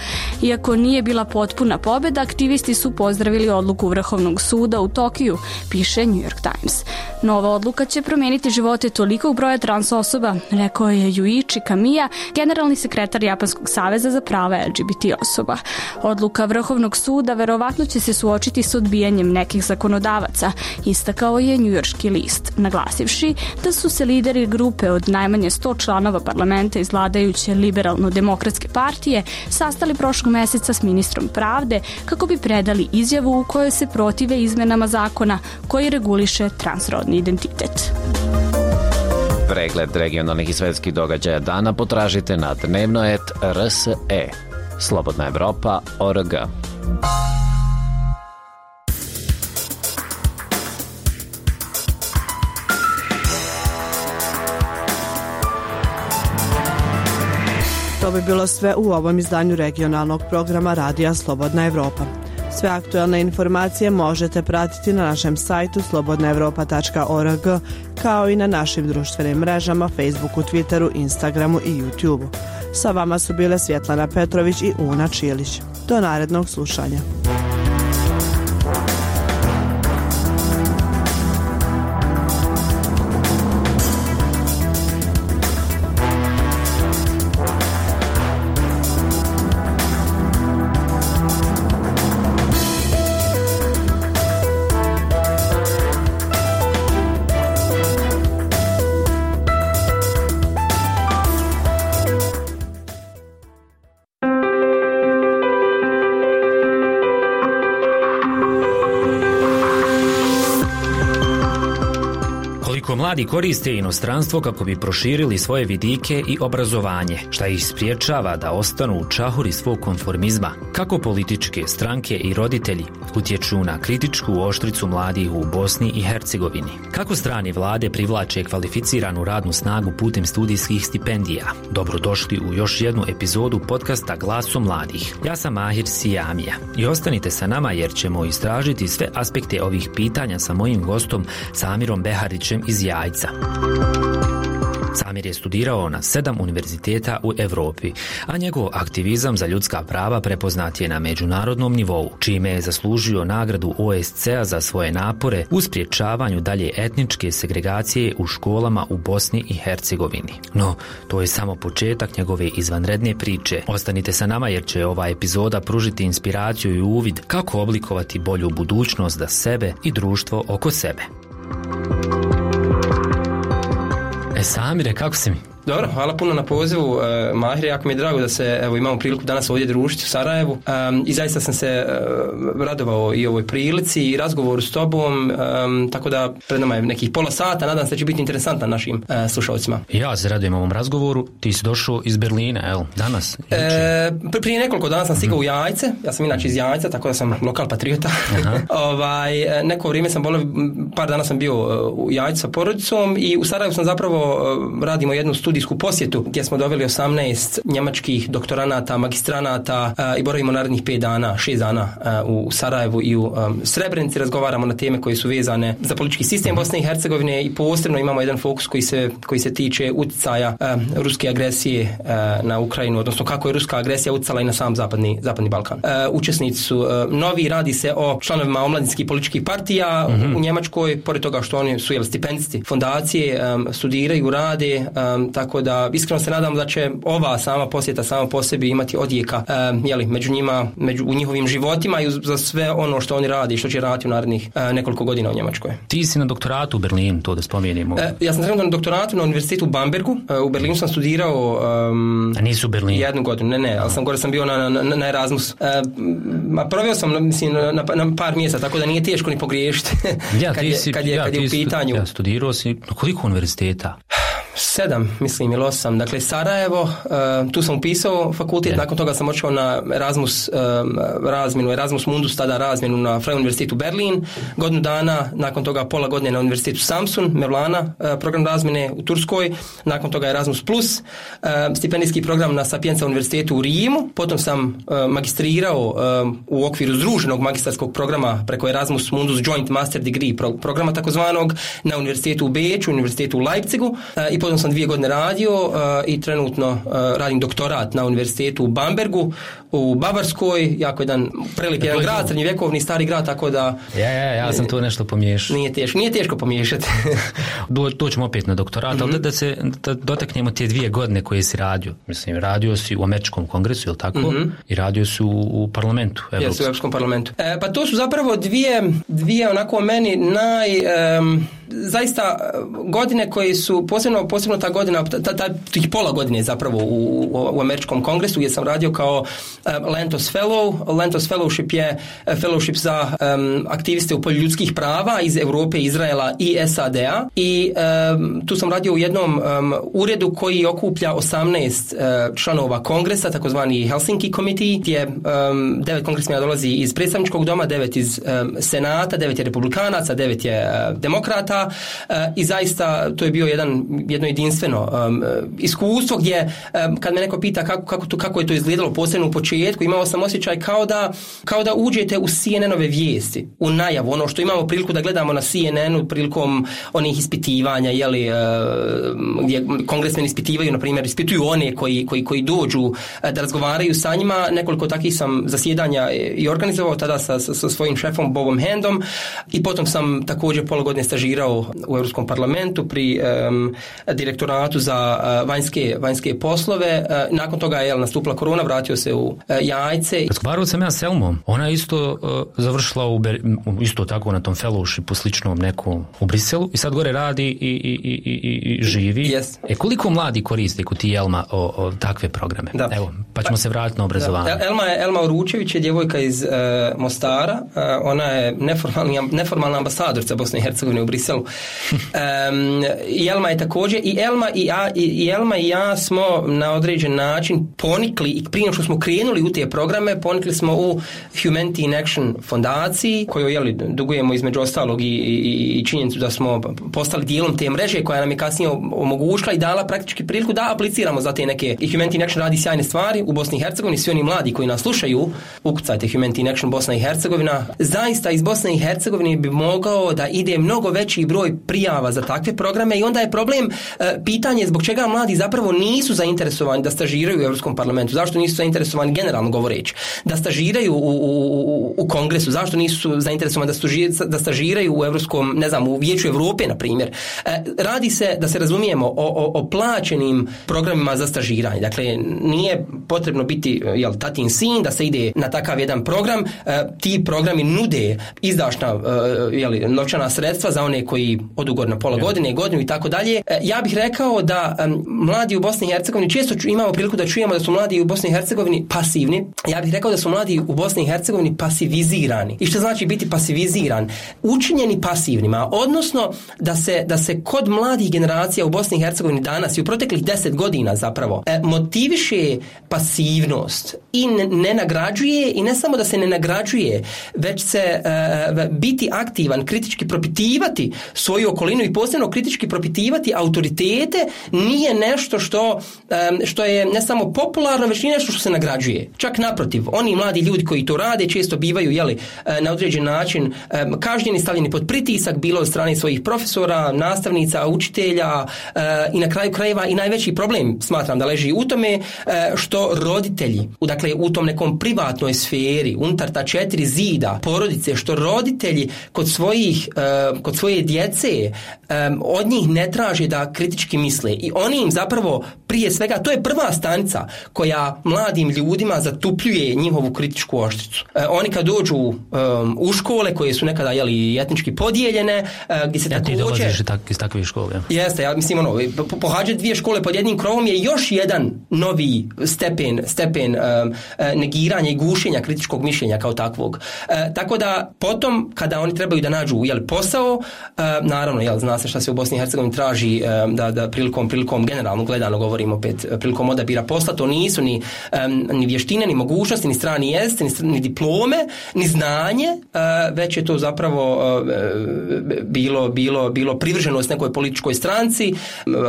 Iako nije bila potpuna pobjeda, aktivisti su pozdravili odluku Vrhovnog suda u Tokiju, piše New York Times. Nova odluka će promijeniti živote tolikog broja trans osoba, rekao je Yuichi Kamiya, generalni sekretar Japanskog saveza za prava L G B T osoba. Odluka Vrhovnog suda verovatno će se suočiti s odbijanjem nekih zakonodavaca, istakao je njujorški list, naglasivši da su se lideri grupe od najmanje sto članova parlamenta iz vladajuće liberalno-demokratske partije sastali prošlog meseca s ministrom pravde kako bi predali izjavu u kojoj se protive izmenama zakona koji reguliše transrodni identitet. Pregled regionalnih i svetskih događaja dana potražite na dnevno et R S E. Slobodna Evropa tačka org. To bi bilo sve u ovom izdanju regionalnog programa Radija Slobodna Evropa. Sve aktuelne informacije možete pratiti na našem sajtu slobodna evropa tačka org, kao i na našim društvenim mrežama Facebooku, Twitteru, Instagramu i YouTubeu. Sa vama su bile Svjetlana Petrović i Una Čilić. Do narednog slušanja. Mladi koriste inostranstvo kako bi proširili svoje vidike i obrazovanje, šta ih spriječava da ostanu u čahuri svog konformizma. Kako političke stranke i roditelji utječu na kritičku oštricu mladih u Bosni i Hercegovini? Kako strane vlade privlače kvalificiranu radnu snagu putem studijskih stipendija? Dobrodošli u još jednu epizodu podcasta Glasom mladih. Ja sam Mahir Sijamija i ostanite sa nama jer ćemo istražiti sve aspekte ovih pitanja sa mojim gostom Samirom Beharićem iz Jajca. Samir je studirao na sedam univerziteta u Evropi, a njegov aktivizam za ljudska prava prepoznat je na međunarodnom nivou, čime je zaslužio nagradu O S C-a za svoje napore u sprječavanju dalje etničke segregacije u školama u Bosni i Hercegovini. No, to je samo početak njegove izvanredne priče. Ostanite sa nama jer će ova epizoda pružiti inspiraciju i uvid kako oblikovati bolju budućnost za sebe i društvo oko sebe. E, Samire, kako si mi? Dobro, hvala puno na pozivu, e, Mahir, jako mi je drago da se evo, imamo priliku danas ovdje družiti u Sarajevu e, i zaista sam se e, radovao i ovoj prilici i razgovoru s tobom, e, tako da pred nama je nekih pola sata, nadam se da će biti interesantan našim e, slušalcima. Ja se radujem ovom razgovoru, ti si došao iz Berlina, evo, danas? E, prije nekoliko dana sam stigao mm-hmm. u Jajce, ja sam inače iz Jajca, tako da sam lokal patriota. ovaj, neko vrijeme sam bolio, par dana sam bio u Jajcu sa porodicom i u Sarajevu sam zapravo radimo jednu studiju studijsku posjetu gdje smo doveli osamnaest njemačkih doktoranata, magistranata uh, i boravimo narednih pet dana, šest dana uh, u Sarajevu i u um, Srebrenici. Razgovaramo na teme koje su vezane za politički sistem Bosne i Hercegovine i posebno imamo jedan fokus koji se, koji se tiče utjecaja uh, ruske agresije uh, na Ukrajinu, odnosno kako je ruska agresija utjecala i na sam zapadni, zapadni Balkan. Uh, učesnici su uh, novi, radi se o članovima omladinskih političkih partija mm-hmm. u Njemačkoj, pored toga što oni su jel, stipendisti fondacije, um, studiraju, rade, um, tako da iskreno se nadam da će ova sama posjeta sama po sebi imati odjeka um, jeli, među njima, među, u njihovim životima i za sve ono što oni radi i što će raditi u narednih uh, nekoliko godina u Njemačkoj. Ti si na doktoratu u Berlinu, to da spomenemo. Uh, ja sam trenutno na doktoratu na univerzitetu u Bambergu. Uh, u Berlinu sam studirao um, A nisi u Berlinu? Jednu godinu, ne, ne, ali sam gore sam bio na, na, na Erasmus. Uh, a proveo sam mislim, na, na, na par mjeseca, tako da nije teško ni pogriješiti ja, kad, je, si, kad je, ja, kad je u pitanju. Ja, studirao si na koliko univerziteta? Sedam, mislim, ili osam. Dakle, Sarajevo, uh, tu sam upisao fakultet, yeah. nakon toga sam otišao na Erasmus um, razmjenu, Erasmus Mundus, tada razmjenu na Freie Universitetu Berlin, godinu dana, nakon toga pola godine na Univerzitetu Samsun, Mevlana, uh, program razmjene u Turskoj, nakon toga Erasmus Plus, uh, stipendijski program na Sapienza Univerzitetu u Rimu, potom sam uh, magistrirao um, u okviru združenog magistarskog programa preko Erasmus Mundus Joint Master Degree pro- programa takozvanog na Univerzitetu u Beču, Univerzitetu u Leipzigu uh, i potom sam dvije godine radio uh, i trenutno uh, radim doktorat na univerzitetu u Bambergu u Bavarskoj, jako jedan prelip jedan grad, srednjevjekovni stari grad, tako da ja, ja, ja sam to nešto pomiješao. Nije teško, nije teško pomiješati. Do, doćemo opet na doktorat, mm-hmm. ali da, da se da dotaknemo te dvije godine koje si radio. Mislim, radio si u Američkom kongresu, ili tako? Mm-hmm. I radio si u, u parlamentu. Jesu, u Europskom parlamentu. E, pa to su zapravo dvije, dvije onako meni naj... Um, zaista godine koje su, posebno, posebno ta godina, ta, ta, tih pola godine zapravo u, u, u Američkom kongresu gdje sam radio kao um, Lantos Fellow. Lantos Fellowship je uh, fellowship za um, aktiviste u polju ljudskih prava iz Europe, Izraela i S A D-a i um, tu sam radio u jednom um, uredu koji okuplja osamnaest uh, članova kongresa, takozvani Helsinki Committee, gdje um, devet kongresmena dolazi iz predstavničkog doma, devet iz um, senata, devet je republikanaca, devet je uh, demokrata učenika uh, i zaista to je bio jedan, jedno jedinstveno um, iskustvo gdje um, kad me neko pita kako, kako, to, kako je to izgledalo posebno u početku, imao sam osjećaj kao da, kao da uđete u C N N-ove vijesti, u najavu, ono što imamo priliku da gledamo na C N N-u prilikom onih ispitivanja, jeli, uh, gdje kongresmeni ispitivaju, na primjer, ispituju one koji, koji, koji dođu uh, da razgovaraju sa njima. Nekoliko takvih sam zasjedanja i organizovao tada sa, sa, sa svojim šefom Bobom Handom i potom sam također pola godine stažirao u Europskom parlamentu pri um, direktoratu za uh, vanjske, vanjske poslove. Uh, nakon toga je nastupila korona, vratio se u uh, Jajce. Razgovarao sam ja s Elmom. Ona je isto uh, završila u Ber... isto tako na tom fellowshipu sličnom nekom u Briselu i sad gore radi i, i, i, i, i živi. Yes. E koliko mladi koriste kod ti Elma o, o takve programe? Da. Evo, pa ćemo pa, se vratiti na obrazovanje. Da. Elma, je, Elma Uručević je djevojka iz uh, Mostara. Uh, ona je neformalni, neformalna ambasadorca Bosne i Hercegovine u Briselu. um, I Elma je također i Elma i, ja, i, i Elma i ja smo na određen način ponikli i prije što smo krenuli u te programe, ponikli smo u Humanity in Action fondaciji koju jeli, dugujemo između ostalog i, i, i činjenicu da smo postali dijelom te mreže koja nam je kasnije omogućila i dala praktički priliku da apliciramo za te neke. I Humanity in Action radi sjajne stvari u Bosni i Hercegovini. Svi oni mladi koji nas slušaju, ukucajte Humanity in Action Bosna i Hercegovina. Zaista iz Bosne i Hercegovine bi mogao da ide mnogo veći broj prijava za takve programe i onda je problem e, pitanje zbog čega mladi zapravo nisu zainteresovani da stažiraju u Europskom parlamentu. Zašto nisu zainteresovani generalno govoreći? Da stažiraju u, u, u Kongresu. Zašto nisu zainteresovani da, stuži, da stažiraju u Europskom, ne znam, u Vijeću Evrope, na primjer. E, radi se, da se razumijemo, o, o, o plaćenim programima za stažiranje. Dakle, nije potrebno biti jel, tatin sin da se ide na takav jedan program. E, ti programi nude izdašna e, jel, novčana sredstva za one koji odu gore na pola godine, godinu i tako dalje. E, ja bih rekao da e, mladi u Bosni i Hercegovini, često ču, imamo priliku da čujemo da su mladi u Bosni i Hercegovini pasivni. Ja bih rekao da su mladi u Bosni i Hercegovini pasivizirani. I što znači biti pasiviziran? Učinjeni pasivnima, odnosno da se, da se kod mladih generacija u Bosni i Hercegovini danas i u proteklih deset godina zapravo e, motiviše pasivnost i ne, ne nagrađuje i ne samo da se ne nagrađuje, već se e, biti aktivan, kritički propitivati svoju okolinu i posebno kritički propitivati autoritete nije nešto što, e, što je ne samo popularno, već nije nešto što se nagrađuje. Čak naprotiv, oni mladi ljudi koji to rade često bivaju jeli, na određen način e, kažnjeni, stavljeni pod pritisak, bilo od strane svojih profesora, nastavnica, učitelja e, i na kraju krajeva i najveći problem smatram da leži u tome e, što roditelji, dakle u tom nekom privatnoj sferi, unutar ta četiri zida porodice, što roditelji kod svojih, e, kod svoje djece e, od njih ne traže da kritički misle i oni im zapravo prije svega, to je prva stanica koja mladim ljudima zatupljuje njihovu kritičku oštricu. E, oni kad dođu um, u škole koje su nekada jeli, etnički podijeljene, uh, gdje se ja također... ti dolaziš tak, iz takve škole. Jeste, ja mislim ono, po, pohađati dvije škole pod jednim krovom je još jedan novi stepen, stepen um, negiranja i gušenja kritičkog mišljenja kao takvog. Uh, tako da potom kada oni trebaju da nađu jeli, posao, uh, naravno, jel, zna se šta se u Bosni i Hercegovini traži um, da, da prilikom, prilikom generalno gledano govorimo opet, prilikom odabira posla, to nisu ni, um, ni vještine, ni mogućnosti, ni strani jezik, ni, ni diplome, ni znanje, uh, već je to zapravo uh, bilo, bilo, bilo privrženost nekoj političkoj stranci,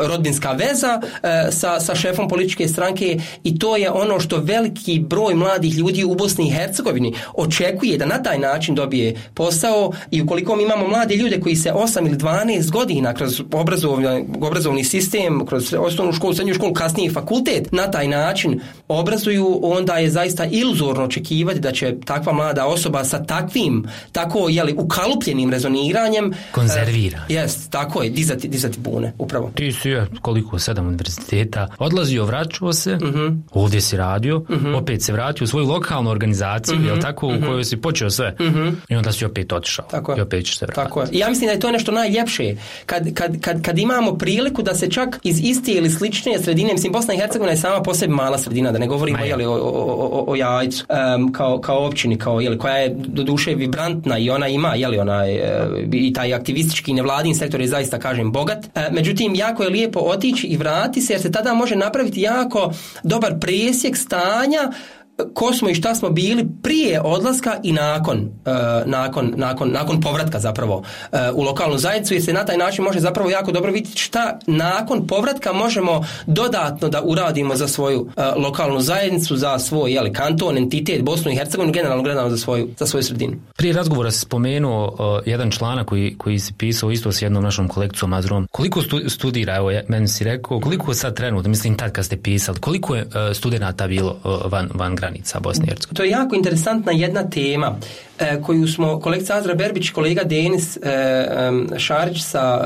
rodbinska veza uh, sa, sa šefom političke stranke i to je ono što veliki broj mladih ljudi u Bosni i Hercegovini očekuje da na taj način dobije posao i ukoliko mi imamo mlade ljude koji se osam ili dvanaest godina kroz obrazovni, obrazovni sistem, kroz osnovnu školu, srednju školu, kasnije fakultet, na taj način obrazuju, onda je zaista iluzorno očekivati da će takva mlada osoba sa takvim, tako jeli, ukalupljenim rezoniranjem konzervira. Uh, jest, tako je, dizati, dizati bune, upravo. Ti si ja, koliko, sedam univerziteta, odlazio, vraćao se, uh-huh. ovdje si radio, uh-huh. opet se vratio u svoju lokalnu organizaciju, uh-huh. jel tako, uh-huh. u kojoj si počeo sve, uh-huh. i onda si opet otišao. Tako i opet ćeš se vratiti. Tako je. I ja mislim da je to nešto najljepše, kad, kad, kad, kad imamo priliku da se čak iz iste ili slične sredine, mislim, Bosna i Hercegovina je sama po sebi mala sredina, da ne govorimo jeli, o, o, o, o Jajcu, um, kao, kao općini, kao, jeli, koja je do duše vibrantna i ona ima, jeli, ona, e, i taj aktivistički nevladin sektor je zaista, kažem, bogat. E, međutim, jako je lijepo otići i vratiti se, jer se tada može napraviti jako dobar presjek stanja ko smo i šta smo bili prije odlaska i nakon, uh, nakon, nakon, nakon povratka zapravo uh, u lokalnu zajednicu, jer se na taj način može zapravo jako dobro vidjeti šta nakon povratka možemo dodatno da uradimo za svoju uh, lokalnu zajednicu, za svoj jeli, kanton, entitet, Bosnu i Hercegovinu, generalno gledano za svoju, za svoju sredinu. Prije razgovora si spomenuo uh, jedan članak koji, koji si pisao isto s jednom našom kolekcijom Azrom. Koliko stu, studira, evo, meni si rekao, koliko sad trenutno, mislim tad kad ste pisali, koliko je uh, studenata bilo uh, van, van granica Bosne i Hercegovine? To je jako interesantna jedna tema e, koju smo kolegica Azra Berbić, kolega Denis e, Šarić sa,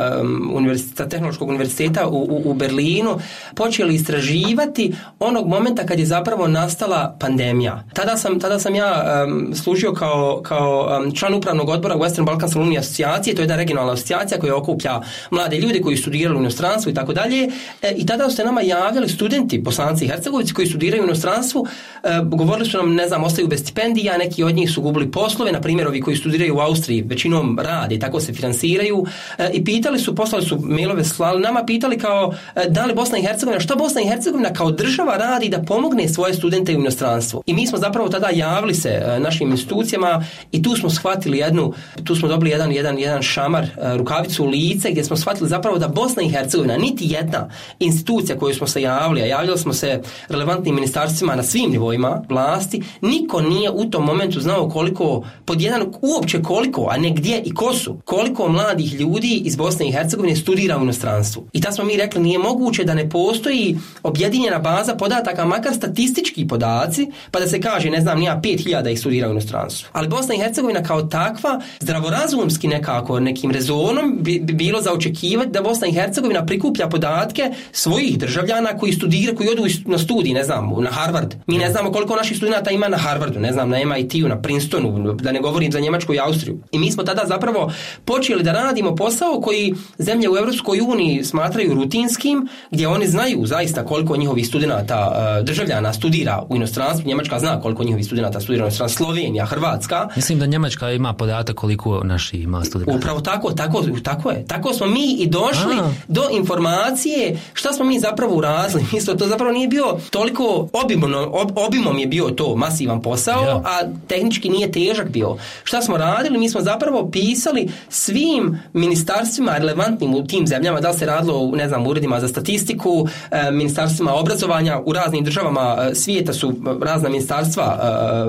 e, sa Tehnološkog univerziteta u, u, u Berlinu počeli istraživati onog momenta kad je zapravo nastala pandemija. Tada sam, tada sam ja e, služio kao, kao član upravnog odbora Western Balkan Alumni asocijacije, to je jedna regionalna asocijacija koja okuplja mlade ljude koji studiraju u inostranstvu i tako dalje. E, I tada su se nama javljali studenti, Bosanci i Hercegovici koji studiraju u inostranstvu, e, govorili su nam, ne znam, ostaju bez stipendija, neki od njih su gubili poslove, na primjer ovi koji studiraju u Austriji većinom rade, tako se finansiraju, e, i pitali su, poslali su mailove, slali nama, pitali kao e, da li Bosna i Hercegovina, šta Bosna i Hercegovina kao država radi da pomogne svoje studente u inostranstvu. I mi smo zapravo tada javili se e, našim institucijama i tu smo shvatili jednu, tu smo dobili jedan, jedan, jedan šamar, e, rukavicu u lice, gdje smo shvatili zapravo da Bosna i Hercegovina, niti jedna institucija koju smo se javili, a javljali smo se relevantnim ministarstvima na svim nivoima vlasti, niko nije u tom momentu znao koliko, pod jedan uopće koliko, a ne gdje i ko su, koliko mladih ljudi iz Bosne i Hercegovine studira u inostranstvu. I tad smo mi rekli, nije moguće da ne postoji objedinjena baza podataka, makar statistički podaci, pa da se kaže, ne znam, nija pet hiljada ih studira u inostranstvu. Ali Bosna i Hercegovina kao takva, zdravorazumski nekako, nekim rezonom bi, bi bilo za očekivati da Bosna i Hercegovina prikuplja podatke svojih državljana koji studiraju, koji odu na studij, ne znam, na Harvard. Mi ne znamo koliko naših studenata ima na Harvardu, ne znam, na M I T-u, na Princetonu, da ne govorim za Njemačku i Austriju. I mi smo tada zapravo počeli da radimo posao koji zemlje u Europskoj uniji smatraju rutinskim, gdje oni znaju zaista koliko njihovih studenata, državljana studira u inostranstvu. Njemačka zna koliko njihovih studenata studira u inostranstvu, Slovenija, Hrvatska. Mislim da Njemačka ima podatak koliko naši ima studenata. Upravo tako, tako, tako je. Tako smo mi i došli A. do informacije šta smo mi zapravo uradili. Mislim, to zapravo nije bio toliko obimno, ob, obimom je bio to masivan posao, yeah. a tehnički nije težak bio. Šta smo radili? Mi smo zapravo pisali svim ministarstvima relevantnim u tim zemljama, da li se radilo u, ne znam, uredima za statistiku, e, ministarstvima obrazovanja, u raznim državama e, svijeta su razna ministarstva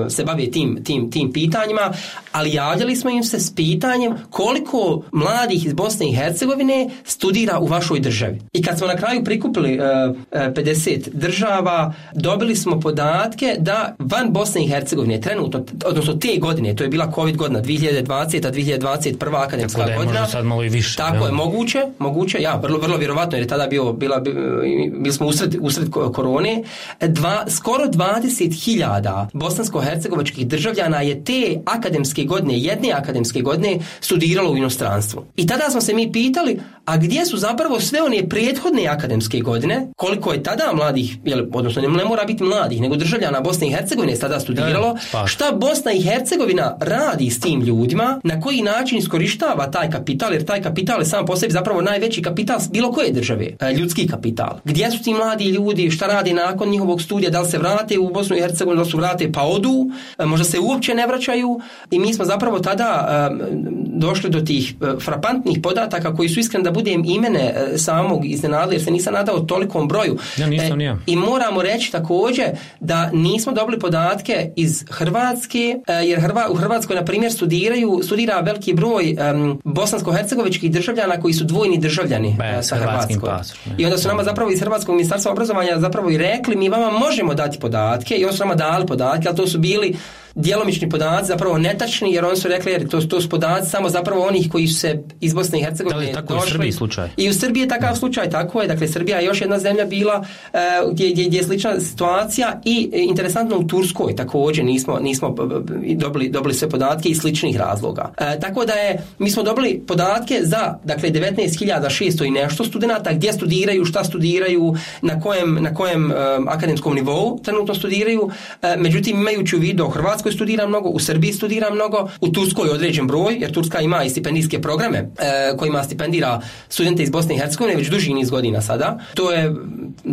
e, se bave tim, tim, tim pitanjima, ali javljali smo im se s pitanjem koliko mladih iz Bosne i Hercegovine studira u vašoj državi. I kad smo na kraju prikupili e, pedeset država, dobili smo podatke da van Bosne i Hercegovine trenutno, odnosno te godine, to je bila COVID godina, dvije hiljade dvadeseta dvije hiljade dvadeset prva akademska tako da je, godina. Sad malo i više. Tako ja. je, moguće, moguće, ja, vrlo, vrlo vjerovatno, jer je tada bio, bila, bili smo usred, usred korone, dva, skoro dvadeset hiljada bosansko-hercegovačkih državljana je te akademske godine, jedne akademske godine studiralo u inostranstvu. I tada smo se mi pitali, a gdje su zapravo sve one prethodne akademske godine, koliko je tada mladih, jel, odnosno ne, ne mora biti mladih, nego državljana Bosne i Hercegovine je tada studiralo, ja, šta Bosna i Hercegovina radi s tim ljudima, na koji način iskorištava taj kapital, jer taj kapital je sam po sebi zapravo najveći kapital bilo koje države, ljudski kapital. Gdje su ti mladi ljudi, šta radi nakon njihovog studija, da li se vrate u Bosnu i Hercegovinu, da li su vrate pa odu, možda se uopće ne vraćaju, i mi smo zapravo tada um, došli do tih uh, frapantnih podataka koji su, iskreno da budem, imene uh, samog iznenadili, jer se nisam nadao tolikom broju. Ja nisam, e, I moramo reći također da nismo dobili podatke iz Hrvatske, uh, jer Hrva, u Hrvatskoj, na primjer, studiraju, studira veliki broj um, bosansko-hercegovičkih državljana koji su dvojni državljani Be, uh, sa Hrvatskoj. Pasoš, I onda su nama zapravo iz Hrvatskog ministarstva obrazovanja zapravo i rekli, mi vama možemo dati podatke, i oni su nama dali podatke, ali to su bili djelomični podaci, zapravo netačni, jer oni su rekli, jer to, to su podaci samo zapravo onih koji su se iz Bosne i Hercegovine došli. Da li je tako u Srbiji slučaj? I u Srbiji je takav mm. slučaj, tako je. Dakle, Srbija je još jedna zemlja bila uh, gdje, gdje, gdje je slična situacija, i interesantno u Turskoj također nismo, nismo dobili, dobili sve podatke iz sličnih razloga. Uh, tako da je, mi smo dobili podatke za, dakle, devetnaest hiljada šesto i nešto studenata, gdje studiraju, šta studiraju, na kojem, na kojem um, akademskom nivou trenutno studiraju, uh, međutim, imajući u vidu Hrvatskoj studira mnogo, u Srbiji studira mnogo, u Turskoj određen broj, jer Turska ima i stipendijske programe e, kojima stipendira studente iz Bosne i Hercegovine već duži niz godina sada. To je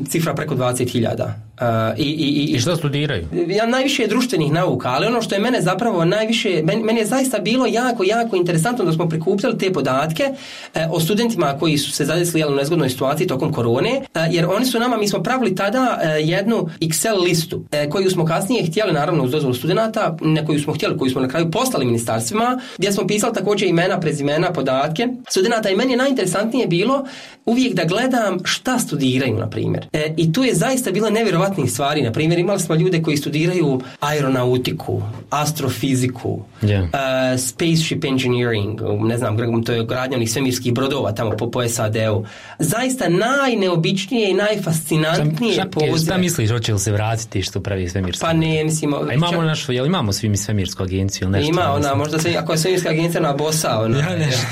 cifra preko dvadeset hiljada Uh, i, i, I što studiraju? Ja najviše društvenih nauka, ali ono što je mene zapravo najviše, meni, meni je zaista bilo jako, jako interesantno da smo prikupljali te podatke uh, o studentima koji su se zadesli u nezgodnoj situaciji tokom korone, uh, jer oni su nama, mi smo pravili tada uh, jednu Excel listu uh, koju smo kasnije htjeli, naravno uz dozvolu studenata, na koju smo htjeli, koju smo na kraju poslali ministarstvima, gdje smo pisali također imena, prezimena, podatke studenata i meni je najinteresantnije bilo uvijek da gledam šta studiraju, na primjer. E, I tu je zaista bilo nevjerovatnih stvari. Na primjer, imali smo ljude koji studiraju aeronautiku, astrofiziku, yeah. uh, spaceship engineering, ne znam, to je gradnja onih svemirskih brodova tamo po, po S A D-u. Zaista najneobičnije i najfascinantnije pozive. Šta misliš, hoće li se vratiti što pravi svemirsko? Pa ne, mislim... A imamo čak... našu, jel imamo svi mi svemirsku agenciju? Ili nešto, ima, ona, možda se, ako je svemirska agencija na bosa, ona... Ja, nešto.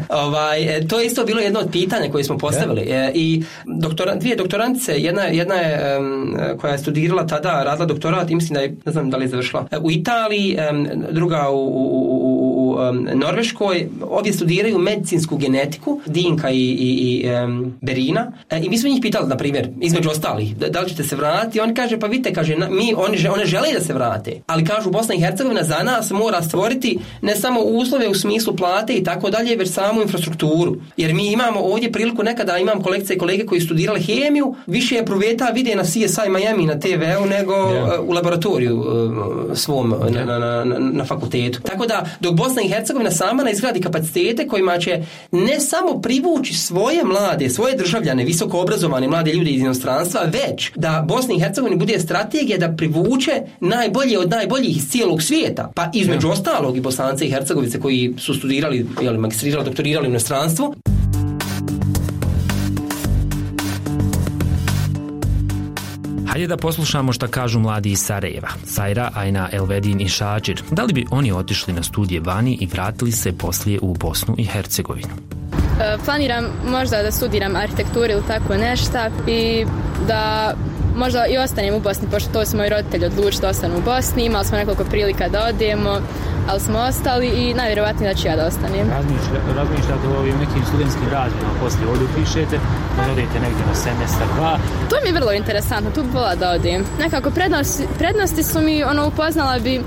ovaj, to je isto bilo jedno od pitanja koje smo postavili. Yeah. E, I doktora, dvije doktorantice, jedna, jedna je um, koja je studirala tada, radila doktorat i mislim da je, ne znam da li je završila, u Italiji, um, druga u, u, u um, Norveškoj, obje studiraju medicinsku genetiku, Dinka i, i, i um, Berina. E, I mi smo njih pitali, na primjer, između ostalih, da, da li ćete se vratiti? On kaže, pa vidite, kaže, mi, oni, one žele da se vrate, ali kažu, Bosna i Hercegovina za nas mora stvoriti ne samo uslove u smislu plate i tako dalje, već samu infrastrukturu. Jer mi imamo ovdje priliku, nekada imam kolegice i kolege koji studirali hemiju, više je pruveta vide na C S I Miami na T V-u nego yeah. u laboratoriju uh, svom yeah. na, na, na, na fakultetu. Tako da, dok Bosna i Hercegovina sama ne izgradi kapacitete kojima će ne samo privući svoje mlade, svoje državljane, visoko obrazovane mlade ljude iz inostranstva, već da Bosna i Hercegovina bude strategija da privuče najbolje od najboljih iz cijelog svijeta. Pa između yeah. ostalog i Bosance i Hercegovice koji su studirali, jeli, magistrirali, doktorirali u inostranstvu. Hajde da poslušamo šta kažu mladi iz Sarajeva. Sajra, Ajna, Elvedin i Šađir. Da li bi oni otišli na studije vani i vratili se poslije u Bosnu i Hercegovinu? E, planiram možda da studiram arhitekturu ili tako nešto i da možda i ostanem u Bosni, pošto to su moji roditelji odlučili da ostanu u Bosni. Imali smo nekoliko prilika da odemo, ali smo ostali i najvjerovatnije da ću ja da ostanem. Razmišljate o ovim nekim studentskim razmjenama, poslije ovdje pišete, da odete negdje na semestar, dva. To mi je vrlo interesantno, tu bi volila da odem. Nekako prednosti, prednosti su mi, ono, upoznala bi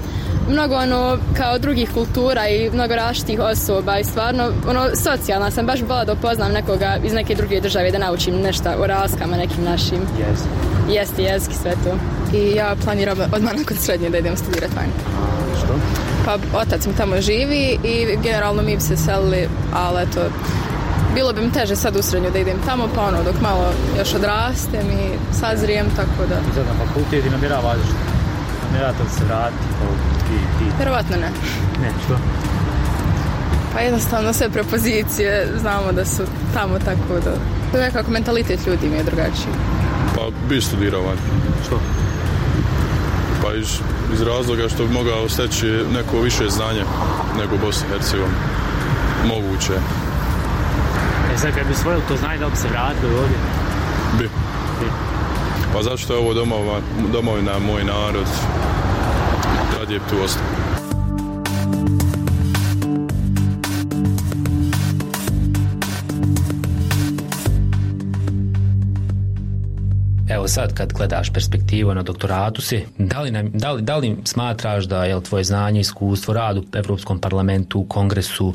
mnogo ono kao drugih kultura i mnogo različitih osoba i stvarno ono socijalna sam, baš bila da upoznam nekoga iz neke druge države, da naučim nešto o razlikama nekim našim. Jezik. Jesti jezik, sve to. I ja planiram odmah nakon srednje da idem studirati vani. Što? Pa otac mi tamo živi i generalno mi bi se selili, ali eto, bilo bi mi teže sad u srednju da idem tamo, pa ono dok malo još odrastem i sazrijem, tako da... I sad na fakultet i namjeravaš, namjeravate li se vratiti? Vjerovatno ne. Ne, što? Pa jednostavno sve prepozicije znamo da su tamo, tako da... To je nekako mentalitet ljudi mi je drugačiji. Pa bi studirao van. Što? Pa iz, iz razloga što bi mogao steći neko više znanje nego u Bosni i Hercegovini. Moguće. E sad kad bi svojili to znanje, da li bi se vratili ovdje? Bi. Bi. Pa zašto je ovo domova, domovina, moj narod? Radije bi tu ostao. Evo sad kad gledaš perspektivu na doktoratu si, da li, nam, da li, da li smatraš da je tvoje znanje, iskustvo, rad u Evropskom parlamentu, kongresu,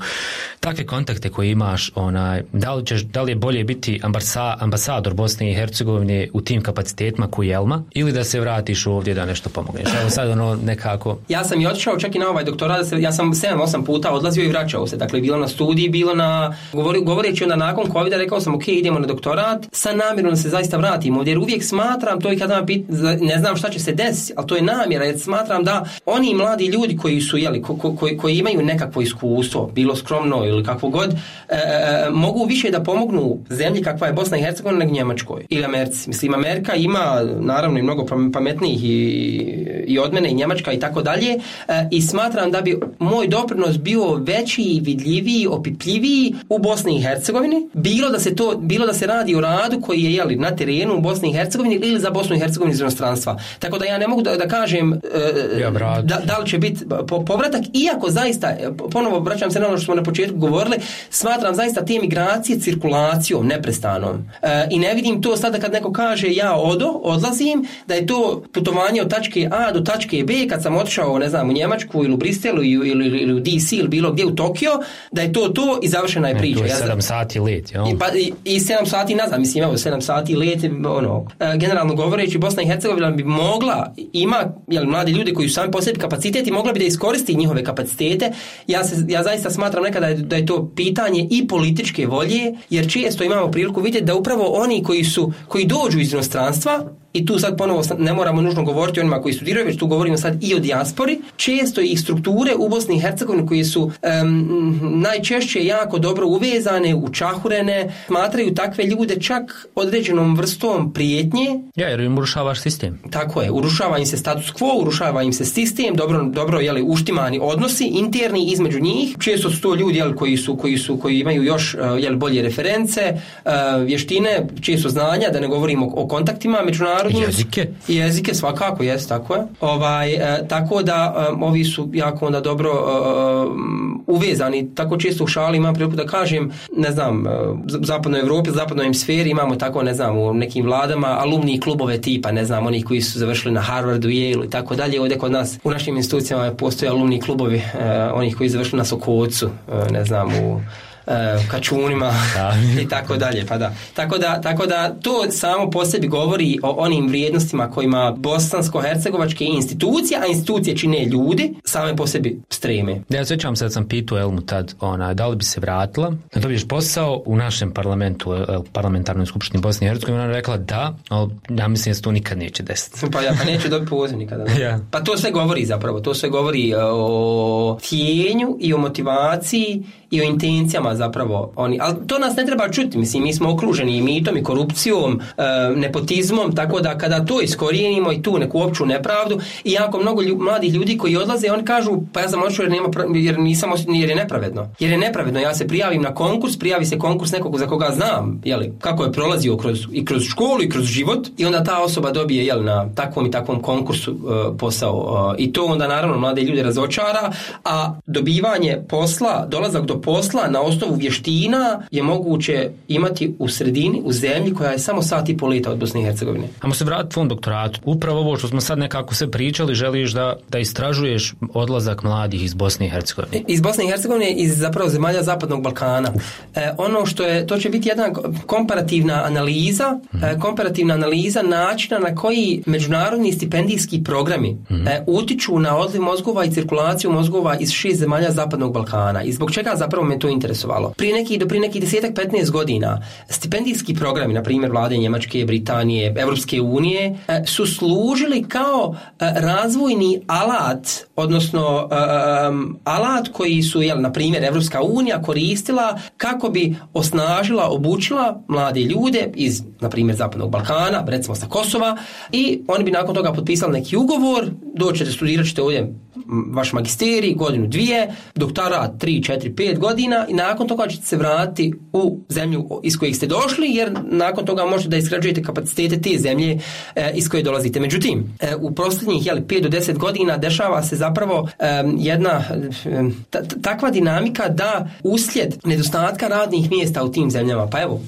takve kontakte koje imaš, onaj, da li, ćeš, da li je bolje biti ambasa, ambasador Bosne i Hercegovine u tim kapacitetima koji Elma ili da se vratiš ovdje da nešto pomogneš? Evo sad ono nekako... Ja sam i otišao čak i na ovaj doktorat, ja sam sedam osam puta odlazio i vraćao se, dakle bilo na studiji, bilo na... Govori, govoreći onda nakon covida rekao sam ok, idemo na doktorat, sa namjerom da se zaista vratimo ovdje, jer uvijek smatram to i kada me pit, ne znam šta će se desiti, ali to je namjera, jer smatram da oni mladi ljudi koji su, jeli, ko, ko, koji, koji imaju nekakvo iskustvo, bilo skromno ili kakvo god, e, e, mogu više da pomognu zemlji kakva je Bosna i Hercegovina nego Njemačkoj ili Americi. Mislim, Amerika ima naravno i mnogo pametnijih i, i od mene i Njemačka i tako dalje, i smatram da bi moj doprinos bio veći, vidljiviji, opipljiviji u Bosni i Hercegovini, bilo da se to, bilo da se radi o radu koji je, jeli, na terenu u Bosni i Hercegovini Hercegovini ili za Bosnu i Hercegovinu iz inostranstva. Tako da ja ne mogu da, da kažem e, ja, da, da li će biti po, povratak, iako zaista, ponovo vraćam se na ono što smo na početku govorili, smatram zaista te migracije cirkulacijom neprestanom. E, I ne vidim to sada kad neko kaže ja odo, odlazim, da je to putovanje od tačke A do tačke B, kad sam otišao, ne znam, u Njemačku ili u Bristelu ili, ili, ili u D C ili bilo gdje u Tokio, da je to to i završena je priča. Ne, to je ja sedam sati let, jel? I, pa, i, i sedam sati nazad, mislim, evo, sedam sati let, ono, e, generalno govoreći, Bosna i Hercegovina bi mogla, ima, jel, mladi ljudi koji su sami po sebi kapaciteti, mogla bi da iskoristi njihove kapacitete. Ja, se, ja zaista smatram nekada da je, da je to pitanje i političke volje, jer često imamo priliku vidjeti da upravo oni koji su, koji dođu iz inostranstva, i tu sad ponovo ne moramo nužno govoriti o onima koji studiraju, već tu govorimo sad i o dijaspori, često i strukture u Bosni i Hercegovini koje su um, najčešće jako dobro uvezane, učahurene, smatraju takve ljude čak određenom vrstom prijetnje. Ja, jer im urušavaš sistem. Tako je, urušava im se status quo, urušava im se sistem, dobro, dobro jeli, uštimani odnosi interni između njih. Često su to ljudi jeli, koji, su, koji, su, koji imaju još jeli, bolje reference, uh, vještine, često znanja, da ne govorimo o, o kontaktima međunarodnim. Jezike. Jezike svakako, jest, tako je. Ovaj, e, tako da um, ovi su jako onda dobro um, uvezani. Tako često u šali imam priliku da kažem, ne znam, u zapadnoj Evropi, u zapadnoj hemisferi imamo tako, ne znam, u nekim vladama alumni klubove tipa, ne znam, oni koji su završili na Harvardu, Yale i tako dalje. Ovdje kod nas u našim institucijama postoje alumni klubovi uh, onih koji su završili na Sokocu, uh, ne znam, u Uh, kačunima i tako dalje, pa da. Tako da, tako da to samo po sebi govori o onim vrijednostima kojima bosansko-hercegovačke institucije, a institucije čine ljudi, same po sebi streme. Ja sjećam se da sam pitao Elmu tad, ona, da li bi se vratila, da dobiješ posao u našem parlamentu, parlamentarnoj skupštini Bosne i Hercegovine, ona rekla da, ali ja mislim da se to nikad neće desiti. Pa ja, pa neće dobiti poziv nikada. Yeah. Pa to sve govori zapravo, to sve govori o tijenju i o motivaciji i o intencijama zapravo oni, ali to nas ne treba čuti, mislim, mi smo okruženi i mitom i korupcijom, e, nepotizmom, tako da kada to iskorijenimo i tu neku opću nepravdu i jako mnogo lju, mladih ljudi koji odlaze, oni kažu, pa ja sam odšao jer, nema, jer nisam, jer je nepravedno. Jer je nepravedno, ja se prijavim na konkurs, prijavi se konkurs nekog za koga znam, jeli, kako je prolazio kroz, i kroz školu i kroz život i onda ta osoba dobije, jeli, na takvom i takvom konkursu e, posao e, i to onda naravno mlade ljude razočara, a dobivanje posla, dolazak do posla na osnovu vještina je moguće imati u sredini, u zemlji koja je samo sat i pol leta od Bosne i Hercegovine. Ajmo se vratiti tvom doktoratu. Upravo ovo što smo sad nekako sve pričali, želiš da, da istražuješ odlazak mladih iz Bosne i Hercegovine. Iz Bosne i Hercegovine, iz zapravo zemalja Zapadnog Balkana. E, ono što je, to će biti jedna komparativna analiza, mm-hmm. e, komparativna analiza načina na koji međunarodni stipendijski programi mm-hmm. e, utiču na odliv mozgova i cirkulaciju mozgova iz šest zemalja Zapadnog Balkana. I zbog čega zapravo me to interesovalo. Prije neki, do prije nekih desetak, petnaest godina stipendijski programi, na primjer vlade Njemačke, Britanije, Evropske unije, su služili kao razvojni alat, odnosno um, alat koji su, jel, na primjer, Evropska unija koristila kako bi osnažila, obučila mlade ljude iz, na primjer, Zapadnog Balkana, recimo sa Kosova, i oni bi nakon toga potpisali neki ugovor, doćete, studirat ćete ovdje vaš magisterij, godinu, dvije, doktorat, tri, četiri, pet godina i nakon toga ćete se vratiti u zemlju iz kojih ste došli, jer nakon toga možete da izgrađujete kapacitete te zemlje e, iz koje dolazite. Međutim, e, u posljednjih jeli, pet do deset godina dešava se zapravo e, jedna e, t- takva dinamika da uslijed nedostatka radnih mjesta u tim zemljama, pa evo,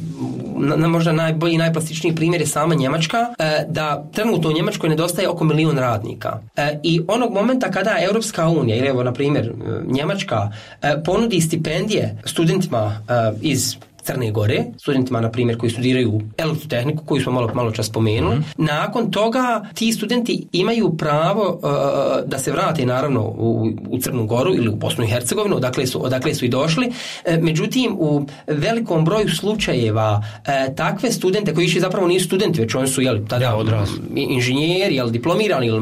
na, na možda najbolji i najplastičniji primjer je sama Njemačka, e, da trenutno u Njemačkoj nedostaje oko milion radnika. E, I onog momenta kada Europska unija, ili evo, na primjer, Njemačka, e, ponudi stipendije studentima e, iz Crne Gore, studentima, na primjer, koji studiraju elektrotehniku, koju smo malo, malo čas spomenuli. Mm-hmm. Nakon toga ti studenti imaju pravo uh, da se vrate, naravno, u, u Crnu Goru ili u Bosnu i Hercegovinu, odakle su, odakle su i došli. E, međutim, u velikom broju slučajeva e, takve studente, koji više zapravo nisu studenti, već oni su, jel, tada ja, odraz. inženjeri, jel, diplomirani ili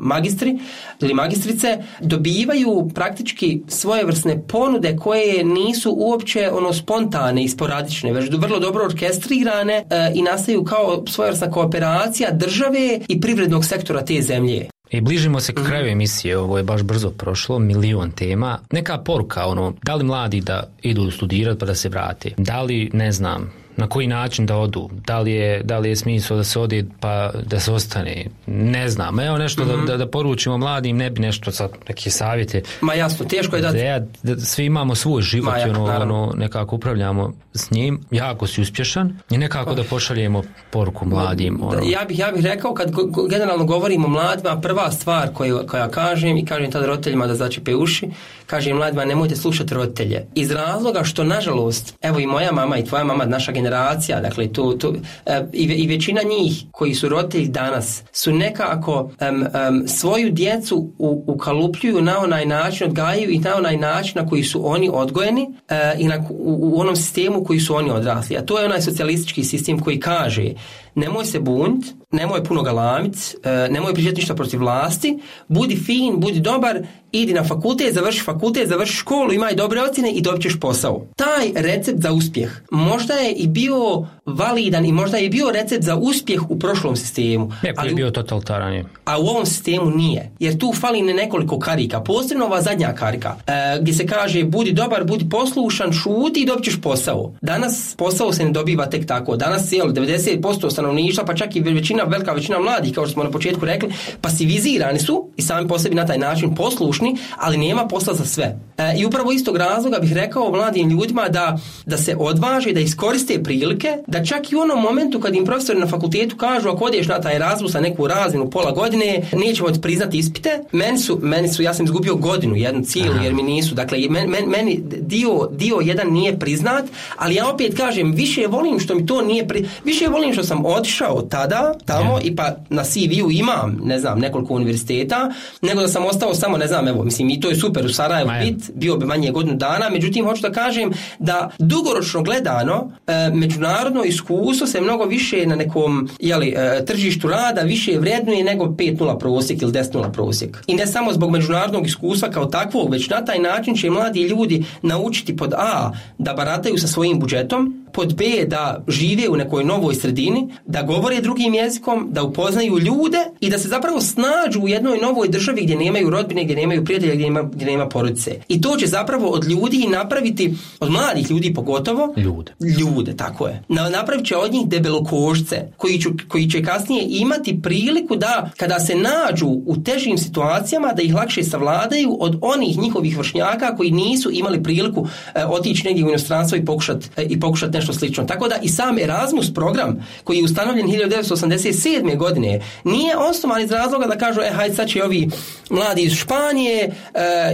magistri ili magistrice, dobivaju praktički svojevrsne ponude koje nisu uopće ono spontane i sporadične, već vrlo dobro orkestrirane e, i nastaju kao svojevrsna kooperacija države i privrednog sektora te zemlje. I bližimo se k kraju emisije, ovo je baš brzo prošlo, milion tema. Neka poruka, ono, da li mladi da idu studirati pa da se vrate? Da li, ne znam, na koji način da odu, da li je, da li je smisao da se ode pa da se ostane, ne znam, evo nešto mm-hmm. da, da, da poručimo mladim, ne bi nešto sad neke savjete. Ma jasno, teško je da... Da, da svi imamo svoj život i ono, ono, nekako upravljamo s njim, jako si uspješan i nekako da pošaljemo poruku mladim. Ono. Ja bih, ja bih rekao, kad go, generalno govorimo o mladima, prva stvar koju, koja kažem i kažem tada roditeljima da začepe uši, kažem mladima nemojte slušati roditelje. Iz razloga što, nažalost, evo i moja mama i tvoja mama, naša generacija, dakle tu, tu, e, i, i većina njih koji su roditelji danas su nekako um, um, svoju djecu u, ukalupljuju na onaj način, odgajaju i na onaj način na koji su oni odgojeni uh, i na, u, u onom sistemu koji su oni odrasli. A to je onaj socijalistički sistem koji kaže nemoj se bunit, nemoj puno galamit, uh, nemoj pričati ništa protiv vlasti, budi fin, budi dobar, idi na fakultet, završi fakultet, završi školu, imaj dobre ocjene i dobit ćeš posao. Taj recept za uspjeh možda je i bio validan i možda je bio recept za uspjeh u prošlom sistemu. Neko je bio totalitaran. A u ovom sistemu nije. Jer tu fali ne nekoliko karika. Posebno ova zadnja karika. E, gdje se kaže budi dobar, budi poslušan, šuti i dobit ćeš posao. Danas posao se ne dobiva tek tako. Danas cijelo devedeset posto stanovništva, pa čak i većina, velika većina mladih, kao što smo na početku rekli, pasivizirani su i sami po sebi na taj način poslušni, ali nema posla za sve. E, I upravo istog razloga bih rekao mladim ljudima da, da se odvaže, da iskoriste prilike, da čak i u onom momentu kad im profesori na fakultetu kažu ako odeš na taj Erasmus, na neku razmjenu pola godine, nećemo ti priznati ispite. Meni su, meni su, ja sam izgubio godinu, jednu cijelu, jer mi nisu. Dakle, men, men, meni dio, dio jedan nije priznat, ali ja opet kažem, više volim što mi to nije pri... više volim što sam otišao tada, tamo, yeah. i pa na C V-u imam, ne znam, nekoliko univerziteta, nego da sam ostao samo, ne znam, evo, mislim, i to je super u Sarajevu bit, bio bi manje godinu dana, međutim, hoću da kažem da dugoročno gledano, e, međunarodno iskustvo se mnogo više na nekom, jeli, e, tržištu rada više vrednuje nego pet nula prosjek ili deset nula prosjek. I ne samo zbog međunarodnog iskustva kao takvog, već na taj način će mladi ljudi naučiti pod A da barataju sa svojim budžetom, pod B da žive u nekoj novoj sredini, da govore drugim jezikom, da upoznaju ljude i da se zapravo snađu u jednoj novoj državi gdje nemaju rodbine, gdje nemaju prijatelja, gdje nema, gdje nema porodice. I to će zapravo od ljudi napraviti, od mladih ljudi pogotovo, ljude. Ljude, tako je. Na, napravit će od njih debelokošce koji, ću, koji će kasnije imati priliku da, kada se nađu u težim situacijama, da ih lakše savladaju od onih njihovih vršnjaka koji nisu imali priliku e, otići negdje u inostranstvo i pokušati e, i pokušati nešto slično. Tako da i sam Erasmus program koji je ustanovljen hiljadu devetsto osamdeset sedme. godine nije osnovan iz razloga da kažu e hajde sad će ovi mladi iz Španije e,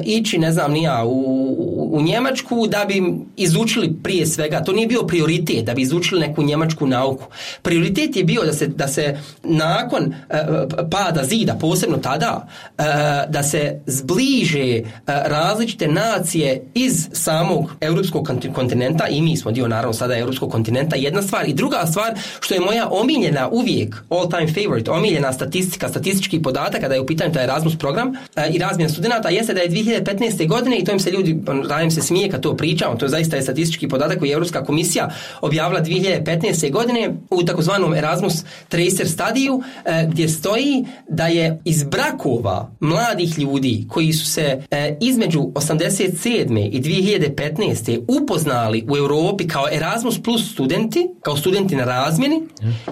ići ne znam nija u, u, u Njemačku da bi izučili prije svega, to nije bio prioritet da bi izučili neku njemačku nauku. Prioritet je bio da se, da se nakon e, pada zida, posebno tada, e, da se zbliže e, različite nacije iz samog europskog kontinenta i mi smo dio naravno sada europskog kontinenta, jedna stvar. I druga stvar, što je moja omiljena uvijek, all time favorite, omiljena statistika, statistički podatak kada je u pitanju taj Erasmus program e, i razmjena studenata, jeste da je dvije hiljade petnaeste. godine, i to im se ljudi, radim se smije kad to pričamo, to je zaista je statistički podatak koji je Europska komisija objavila dvije hiljade petnaeste. godine u takozvanom Erasmus Tracer studiju, e, gdje stoji da je iz brakova mladih ljudi koji su se e, između osamdeset sedme. i dvije hiljade petnaeste. upoznali u Europi kao Erasmus plus studenti, kao studenti na razmjeni,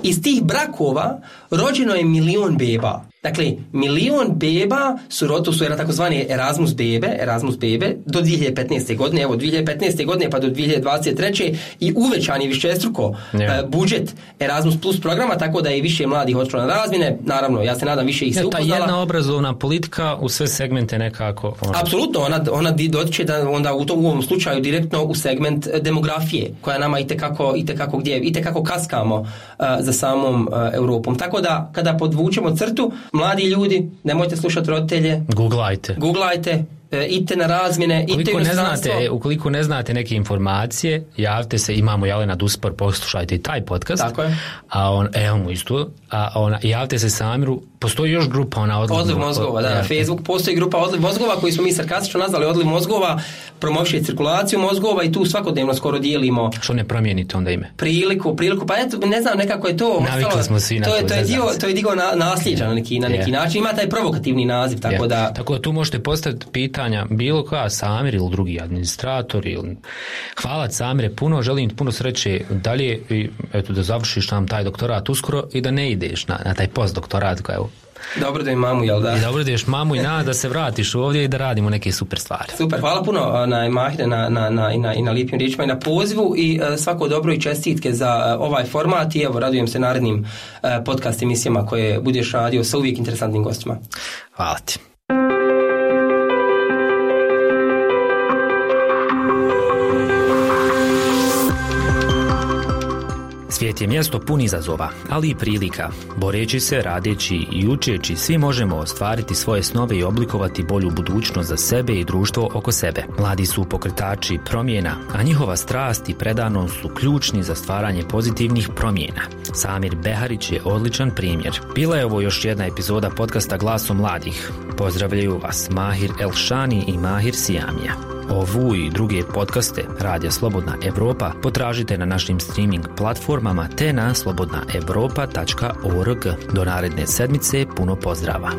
iz tih brakova rođeno je milion beba. Dakle, milion beba su roto su era takozvani Erasmus bebe, Erasmus bebe do dvije hiljade petnaeste. godine, evo dvije hiljade petnaeste. godine pa do dvije hiljade dvadeset treće. i uvećan je višestruko yeah. uh, budžet Erasmus plus programa, tako da je više mladih otišlo na razmjene. Naravno, ja se nadam više ih se ja, upoznala. Ta jedna obrazovna politika u sve segmente nekako. Ona... Apsolutno, ona, ona dotiče da onda u tom u ovom slučaju direktno u segment demografije, koja nama itekako, itekako gdje, itekako kaskamo uh, za samom uh, Europom. Tako da, kada podvučemo crtu, mladi ljudi, nemojte slušati roditelje. Googlajte. Googlajte. Idite na razmjene, ukoliko ne znate, ukoliko ne znate neke informacije, javite se, imamo Jelena Duspar, poslušajte i taj podcast. Tako je. A on, evo mu isto, a ona, javite se Samiru, postoji još grupa ona odliv, odliv mozgova, da, na Facebook postoji grupa odliv mozgova koji smo mi sarkastično nazvali odliv mozgova, promoviše cirkulaciju mozgova i tu svakodnevno skoro dijelimo. Što ne promijenite onda ime? Priliku, priliku, pa eto, ne znam, nekako je to navikli smo svi na to. To, je, to je dio, to je dio na, nasljeđa na neki, na neki yeah. način, ima taj provokativni naziv, tako yeah. da... Tako da tu možete postaviti pitanje pitanja, bilo koja, Samir ili drugi administrator, ili... hvala Samire puno, želim ti puno sreće dalje i eto, da završiš nam taj doktorat uskoro i da ne ideš na, na taj postdoktorat koja je... Dobro da je mamu, jel da? I dobro da ješ mamu i na, da se vratiš ovdje i da radimo neke super stvari. Super, hvala puno na Mahire na, na, na, i, na, i na lijepim riječima i na pozivu i uh, svako dobro i čestitke za uh, ovaj format i evo radujem se narednim uh, podcast emisijama koje budeš radio sa uvijek interesantnim gostima. Hvala ti. Svijet je mjesto pun izazova, ali i prilika. Boreći se, radeći i učeći, svi možemo ostvariti svoje snove i oblikovati bolju budućnost za sebe i društvo oko sebe. Mladi su pokretači promjena, a njihova strast i predanost su ključni za stvaranje pozitivnih promjena. Samir Beharić je odličan primjer. Bila je ovo još jedna epizoda podcasta Glasom mladih. Pozdravljaju vas Mahir Elšani i Mahir Sijamija. Ovu i druge podcaste Radija Slobodna Evropa potražite na našim streaming platformama te na slobodna evropa tačka org. Do naredne sedmice puno pozdrava.